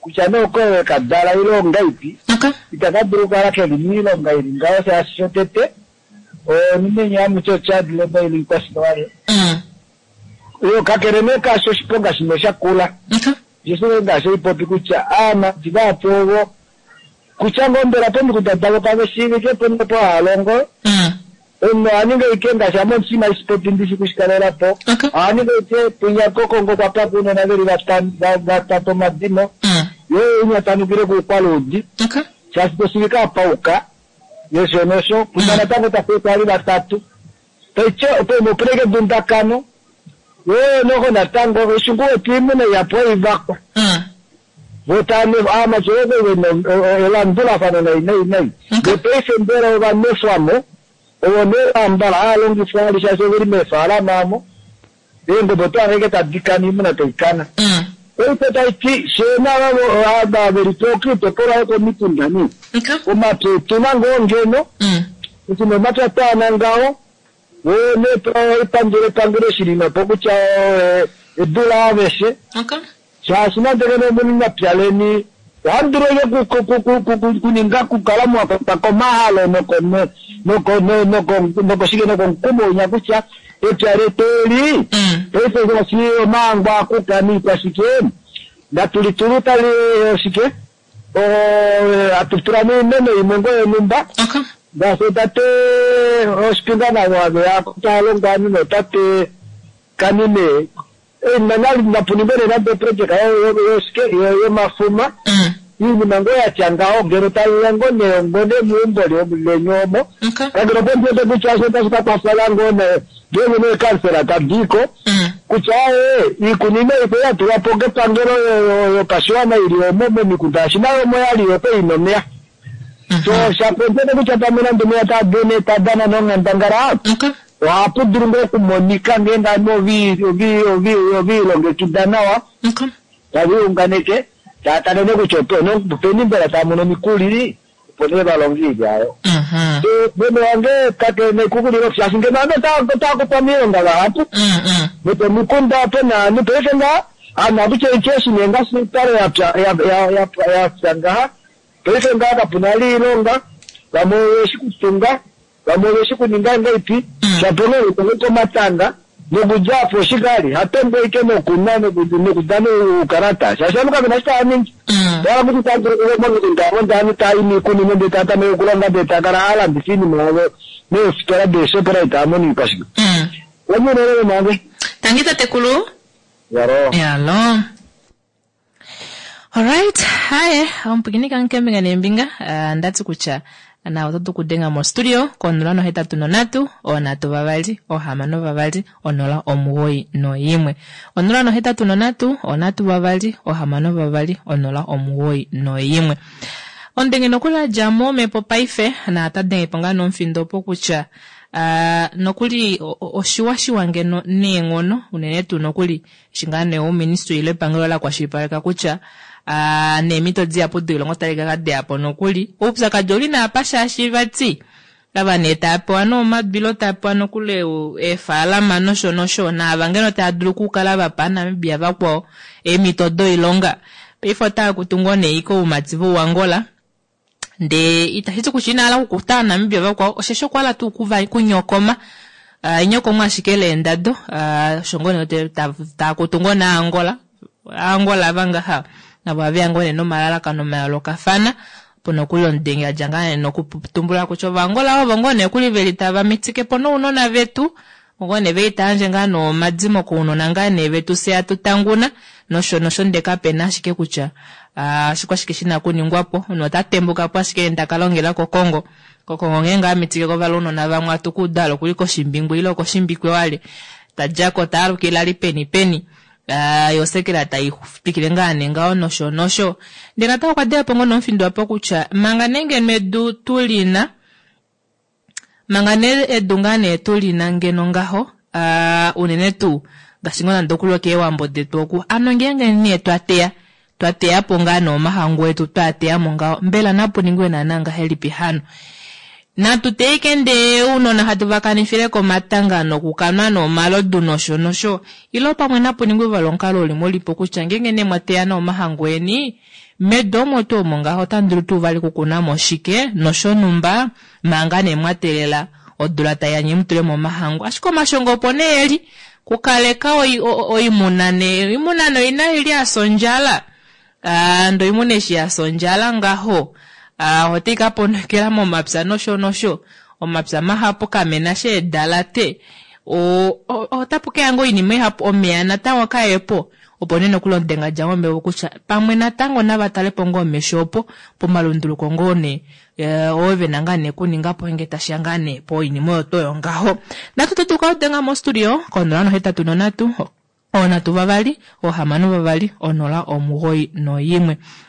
kutya nee okoye ka dala ile ongaipi itaka dulu okukala keli moilonga ili ngaho shaashi shotete onimenya hamuti ochild labour ili kwashike yo kakele nee kaasho oshiponga shimwe shakula osho ngaashi oipopi kutya aamati vahapu ovo kutya ngoo mbela pomikunda davo kave shiivike po nopo hava longo omunhu oha ningi ike ngaashi ame omusima ishipopi ndishi kushikalela po oha ningi ike pwinya koKongo kwa pakwa ounona veli vatatu omadimo yo inya tanukile kuukwaluudi shaashi toshiivika apauka nosho nosho pwinya natango tafiye ali vatatu taitye opena ike edundakano yo noho natango eshi ngoo wete oimuna ihapu oivakwa vo tava aamati ovo vena elandulafano nai nai nai ndee paife mbela ova nwefwamo ovo nee vambala hava longifwa vali shaashi oveli meefaalama omo eengobe oto hange ike tadi kana oimuna taikana paife taiti fyee nava ava veli koitopolwa yokomikunda nee omapya etuna ngoo ngeno eshi nee omapya twaana ngaho woo nee epangelo epangelo eshi lina po kutya edu laaveshe shaashi nande ngeno omuli mepya leni ohamu dulu ike kuninga kukala mwa kwatwa komahalo nokoshike nokomukumo winya kutya epya letu eli paife ngaashi omaangwa akuka niikwashike natu litulu tali oshike hatu tula mo iimeno imwe ngoo yonhumba ngaashi tate oshipinga navo haveya tava longo ovanhu notate kanime oinima nali napuningwe nee nande oprojeka yoshike yomafuma iinima ngoo yatya ngaho ngeno taiya ngoo nee ngoo nee meumbo leni omo kakele opo ndiwete kutya osho otashi ka kwafela ngoo nee ngeenge nee kansela tadiiko. Kutya ee, iikunino ipe ya tulwa po kepangelo yopashiwana ili omo momikunda shaashi nayo omo ya li yo okwali ina omeya. So shapo kutya pamwe nande omeya taa dene taa dana nonghandangala, ohapu dulu ngoo okumonika ngeenge ovanhu ove ilongekida nawa, tave iunganeke, tava tale nee kutya openi mbela tava mono omikuli opo nee va longe oilya aayo. Meme wange kake na ekukulilo shaashi ngeno ovanhu otava kutwa miilonga vahapu nopomikunda ope na ovanhu paife ngaha ovanhu ohakutya oitya eshi nee ngaashi oipale yapya ngaha paife ngaha kapu na oilonga vamwe oveshi kutunga vamwe oveshi kuninga ngaipi shapo nee utange komatanga nokudja apo oshikali hatombo ike nokunwa nokudana oukalata shaashi ovanhu kavena eshi tava ningi ohala kuti tava dulu okuya momikunda amo ndee ovanhu tava i miikunino ndee tava tameke okulonga ndee tava kala hava landifa oinima yavo meefitola deeShoprite tava mono iikwashike. Omuunene meme wange. Tangi tatekulu. Yalo. Yalo. Alright, haye omupwikini kange keembinga neembinga uh, ndati kutya na oto dulu kudenga mo studio ko 083 3 6 2 091 083 3 6 2 091 Omudenge nokuli a dja mo omhepo paife na ota denge po ngaa nomufindo opo kutya uh, nokuli oshiwashiwa ngeno neenghono unene tuu nokuli Eshi ngaa nee ouministry ile epangelo la kwashilipaleka kutya neemhito dihapu doilonga otadi ka deya po nokuli. Oupyakadi ouli nee apa shaashi vati ava nee tava pewa nee omadu ile tava pewa nokuli eefaalama nosho nosho naava ngeno tava dulu okukala va pa Aanamibia vakwao eemhito doilonga paife otava kutu ngoo nee ike oumati vouAngola ndee itashi ti kutya ina hala okukuta Aanamibia vakwao osheshi okwa hala tuu kuva kunyokoma uh, enyokomo ashike leendado uh, osho ngoo nee taa kutu ngoo naAngola Aangola ava ngaha navo ohaveya ngoo nee nomalalakano mayoolokafana opo nokuli omudenge a dja ngaa nee nokutumbula kutya Ovaangola ovo ngoo nee kuli veli tava mitike po nounona vetu Ngoo nee veli ta yandje ngaa nee omadimo kounona ngaa nee vetu fye atu tanguna nosho nosho ndee kapena ashike kutya oshikwashike shina okuningwapo. Omunhu ota tembukapo ashike ndee taka longela ko Kongo. Ko Kongo ngeenge amitikeko vali ounona vamwe atu kuuda hala okuli koshimbingu ile okoshimbikwe wale. Tadjako ta alukile ali peni peni. Yo osekela tai twikile ngaa nee ngaho nosho nosho. Ndee natango okwa deyapo ngoo nomufindo apa kutya manga nee ngeno edu tulina Manga nee edu ngaa nee tu li na ngeno ngaho, aa, unene tuu ngaashi ngoo nande okuli okeewambo detu oku, ano ngeenge nee twa teya, twa teya po ngaa nee omahangu etu twaa teya mo ngaho, mbela napu ningwe naana ngahelipi hano? Natu teye ike ndee ounona hatu va kanifile komatanga nokukanwa noomalodu nosho nosho, ile pamwe napu ningwe vali omukalo uli mulipo kutya ngeenge nee mwa teya nee omahangu eni, Medu omo tuu omo ngaho otamu dulu tuu vali okukuna mo shike noshonhumba manga nee mwa teelela odula tai ya nye mu tule mo omahangu. Ashike omashongo opo nee eli, kukaleka oimuna nee, oimuna nee oina ili ya fya ondjala. Ndee oimuna eshi ya fya ondjala ngaho otai ka ponokela momapya nosho nosho. Omapya mahapu kamena sha eedalate. Otapu keya ngoo oinima ihapu, omeya natango kaepo. Opo nee nokuli omudenga dja mombepo kutya pamwe natango nava tale po ngoo omesho opo pomalunduluko ngoo nee oo ve na ngaa nee okuninga po nge tashi ya ngaa nee poinima oyo tuu oyo ngaho. Natu to tuka odenga mostudio ko 083 3 6 2 091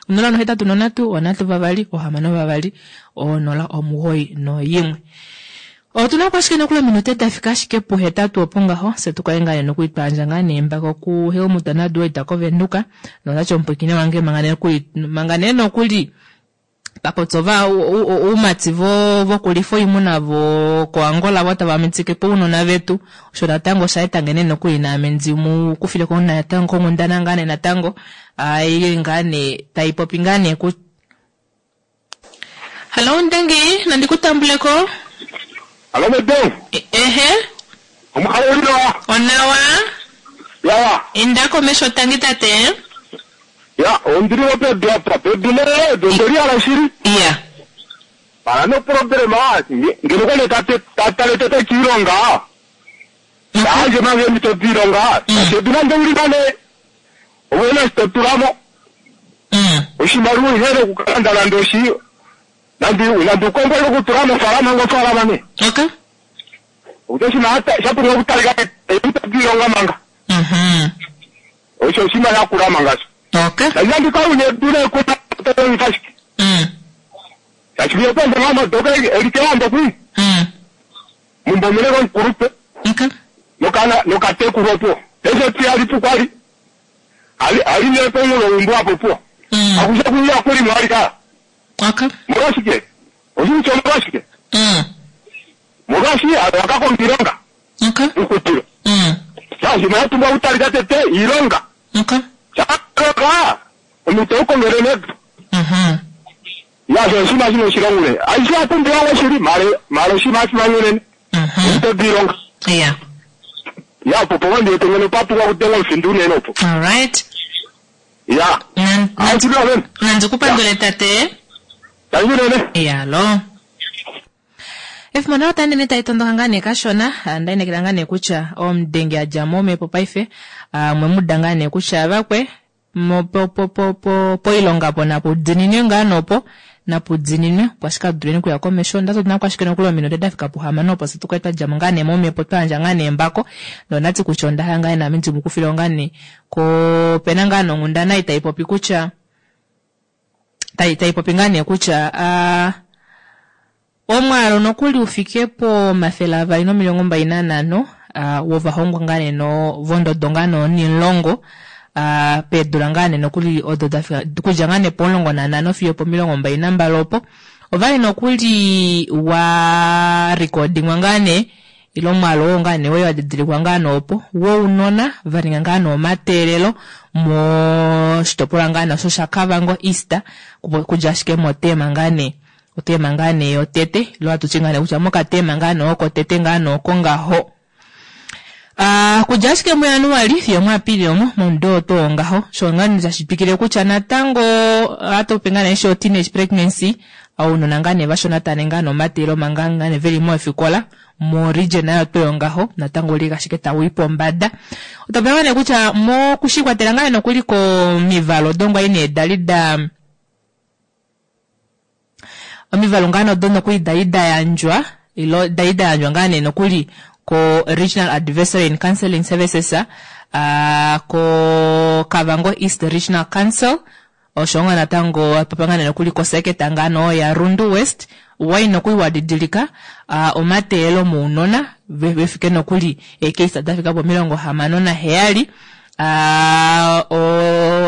083 3 6 2 091 Otu na ko ashike nokuli ominute da fika ashike puhetatu opo ngaho, fye tu kale ngaa nee nokuli twa yandja ngaa nee embako kuHelmut naDuwaita kOvenduka, notati omupwiikini wange manga nee nokuli, manga nee nokuli ta popya ova, oumati vo, vokulifa oimuna vo koAngola vo tava mitike po ounona vetu, osho natango osha eta nge nee nokuli naame ndi mu kufile ko natango konghundana ngaa nee natango, ili ngaa nee tai popi ngaa nee ku. Hallo Ndengi, nandi ku tambule ko. Hallo mede. Ehe. Omukalo uli nawa. Onawa. Yawa. Inda komesho tangi tate. Ya, ondili mo pedu apa, pedu nee, edu ondeli hala shili. Ya. Pala no problema, ngeno kwali ta tale tete kiilonga. Taandje manga eemhito diilonga, shaashi edu nande uli na nee, ove na eshi to tula mo. Oshimaliwa ihe nokukalanda nande oshi nande nande ukombo ile okutula mofaalama ngofaalama nee. Okay. Okutya oshinima sha pumbwa okutalika eemhito diilonga manga. Osho oshinima sha kula manga sho. Okay. Tashi ndika une dule kuna tolongifa shike. Tashi viyo pende ngama doka elike wambo kwi. Mumbomele komukulupe. Okay. Nokana nokatekulwa po. Esho ti ali pukwali. Ali ali nepo mulo umbu apo po. Akusha kuya kuli mwali ka. Okay. Molwashike? Oshintu molwashike? Molwashi akakonga ilonga. Okay. Ukutilo. Shashi mwatumba utalika tete ilonga. Okay. Chaka. Omuntu okongere nepo. Ya sho shima shino shilongule. Aisha atumbi wango shili male male shima shima yunene. Omuntu bilonga. Yeah. Ya popo wandi etengene papu kwa kutenga usindu nene opo. All right. Ya. Nandikupandule tate. Yalo. Efimbo nalo tandi tai tondoka ngaa nee kashona ah, ndainekela ngaa nee kutya omudenge a dja mo omhepo paife ah, mwe mu da ngaa nee kutya vakwe mo- po- po- po- po- poilonga po napudininwe ngaa nopo napudininwe opo ashike aduleni okuya komesho ndati otuna kwashike nokuli ominute dafika puhamano opo se tukale twadja mo ngaa nee momhepo twayandja ngaa nee embako nondati kutya onda hala ngaa nee naame ndimukufile ngaa nee ko opena ngaa nonghundana ei taipopi kutya tai taipopi ngaa nee kutya ah, omwaalu nokuli ufike pomafele avali nomilongo mbali nanhano uh, wovahongwa ngaa nee no vondodo ngaa nee onimulongo uh, peedula ngaa nee nokuli odo dafika okudja ngaa nee pomulongo nanhano fiyo pomilongo mbali nambali opo ovali nokuli wa recordingwa ngaa nee ile omwaalu oo ngaa nee wali wadidilikwa ngaa nee opo wounona vaninga ngaa nee omateelelo moshitopolwa ngaa nee osho shaKavango East kudja ashike motema ngaa nee otema ngaa nee yotete ile hatuti ngaa nee kutya mokatema ngaa nee oko tete ngaa nee oko ngaho. Uh, kudja ashike muJanuali fiyo muApilili omo momudo oo tuu ngaho sho ngaa nee tashi twikile kutya natango ohatu pe ngaa nee sho teenage pregnancy ounona ngaa nee vashona tava ningi ngaa nee omateelelo manga ngaa nee veli meefikola mo region nayo tuu ngaho natango ouli ashike tawii pombada. Otwa pewa nee kutya mokushikwatela ngaa nee nokuli komivalo odo kwali nee dali da omivalo ngaa nee odo nokuli dali da yandjwa ilo dali da yandjwa ngaa nee nokuli ko Regional Advisory and Counseling Services uh, ko Kavango East Regional Council osho nga natango papa ngaa nee nokuli koseketa ngaa nee ya Rundu West wai nokuli wadidilika uh, omateelelo mounona vefike nokuli eecase dafika pomilongo hamano naheyali uh,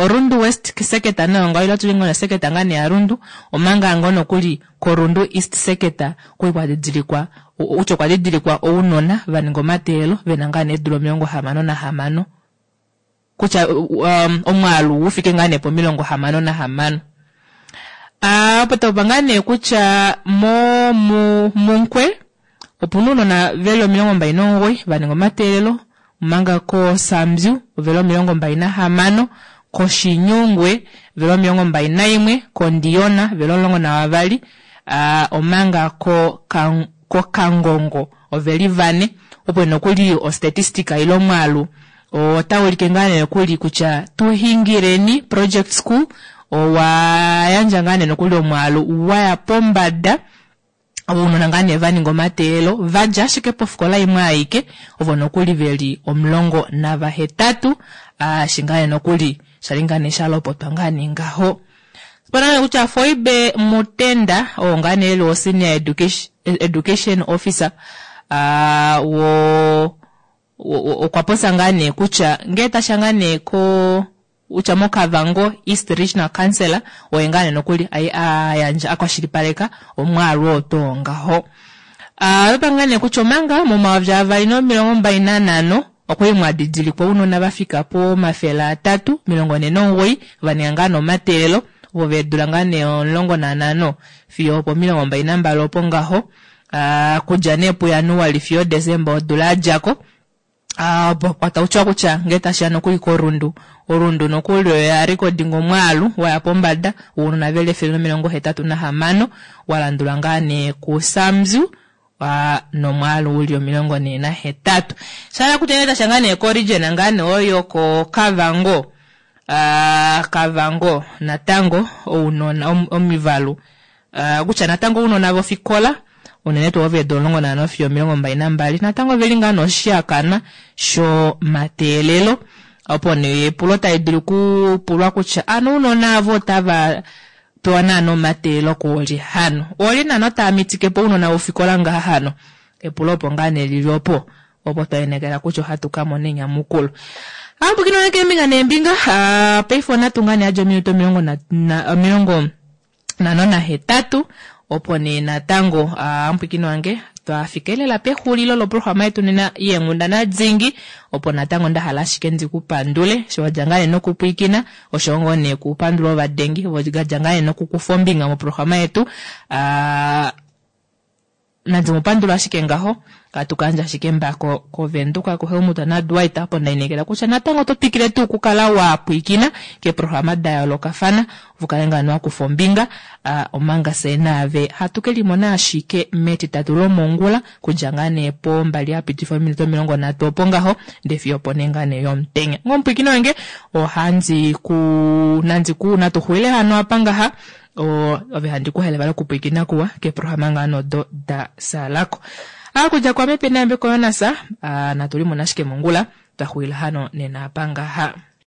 Rundu West seketa nayo ngaho ila tuli ngoo seketa ngaa nee ya Rundu omanga ngoo nokuli koRundu East seketa kwali kwadidilikwa kutya okwa didilikwa ounona vaninga omateelelo vena ngaa nee eedula omilongo hamano nahamano kutya um, omwaalu ufike ngaa nee pomilongo hamano nahamano. Uh, opo taupa ngaa nee kutya mo mu munkwe opuna ounona veli omilongo mbali nomugoyi vaninga omateelelo omanga koSambyu oveli omilongo mbali nahamano kOshinyungwe veli omilongo mbali naimwe kOndiyona veli omulongo navavali uh, omanga koKangongo oveli vane opo nokuli ostatistika ile omwaalu otaulike ngaa nee nokuli kutya tuhingireni project school owa yandja ngaa nee nokuli omwaalu waya pombada ounona ngaa nee vaninga omateelelo vadja ashike pofikola imwe aike ovo nokuli veli omulongo navahetatu eshi ngaa nee nokuli shali ngaa nee shalopotwa ngaa nee ngaho. Opena nee kutya Foibe Mutenda oo ngaa nee eli o senior education, education officer uh, wo okwa popya ngaa nee kutya ngee tasha ngaa nee ko kutya moKavango East Regional Council oye ngaa nee nokuli ayandja akwashilipaleka omwaalu oo tuu ngaho. Uh, ngaa nee kutya omanga momayovi avali nomilongo mbali nanhano okwali mwadidilikwa ounona vafika pomafele atatu omilongo nhee nomugoyi vaninga ngaa nee omateelelo ovo veedula ngaa nee omulongo nanhano fiyo opomilongo mbali nambali opo ngaho uh, kudja nee puJanuali fiyo Desemba odula yadjako. Uh, kwatautiwa kutya ngee tashiya nokuli koRundu Orundu nokuli oya recording omwaalu waya pombada wounona veli efele nomilongo hetatu nahamano walandulwa ngaa nee kuSambyu uh, nomwaalu uli omilongo nhee nahetatu. Shahala kutya ngee tashiya ngaa nee koregion ngaa nee oyo koKavango uh, Kavango natango ounona omivalu uh, kutya natango ounona vofikola Unene tuu ovo eedula 15 fiyo 22 natango oveli ngaa noshihakanwa shomateelelo. Opo nee epulo tali dulu okupulwa kutya ano ounona avo otava pewa naana omateelelo koolye hano? Oolye naana tava mitike po ounona vofikola ngaha hano? Epulo opo ngaa nee lili opo, opo twa inekela kutya ohatu ka mona enyamukulo. Aapukino wange keembinga neembinga, paife onatu ngaa nee yadja ominute 58 opo nee natango amupwikini wange twafika lela pexulilo loprograma yetu nena yeenghundana dingi opo natango nda hala ashike ndi ku pandule sho wadja ngaa nee nokupwiikina oshowo ngoo nee kupandula ovadengi vodja ngaa nee nokukufa ombinga moprograma yetu Nandi mu pandula ashike ngaho. Katu ka yandja ashike mbako kOvenduka kuHelmut naDwight opo nda inekela kutya natango oto twikile tuu okukala wa pwiikina keeprograma da yoolokafana u kale ngaa wa kufa ombinga omanga fyee naave hatu ke limona ashike mEtitatu lomongula kudja ngaa nee pombali ya pitifa ominute 30 opo ngaho ndee fiyo opo nee ngaa nee yomutenya. Ngomupwiikini wange ohandi ku nandi ku natu xulile hano apa ngaha. Ove handi ku halele vali okupwiikina kuwa keeprograma ngaa nodo da salako. Akudja kwame pena yambeko Jonas, natu limone ashike mongula, twa xulila hano nena apa ngaha.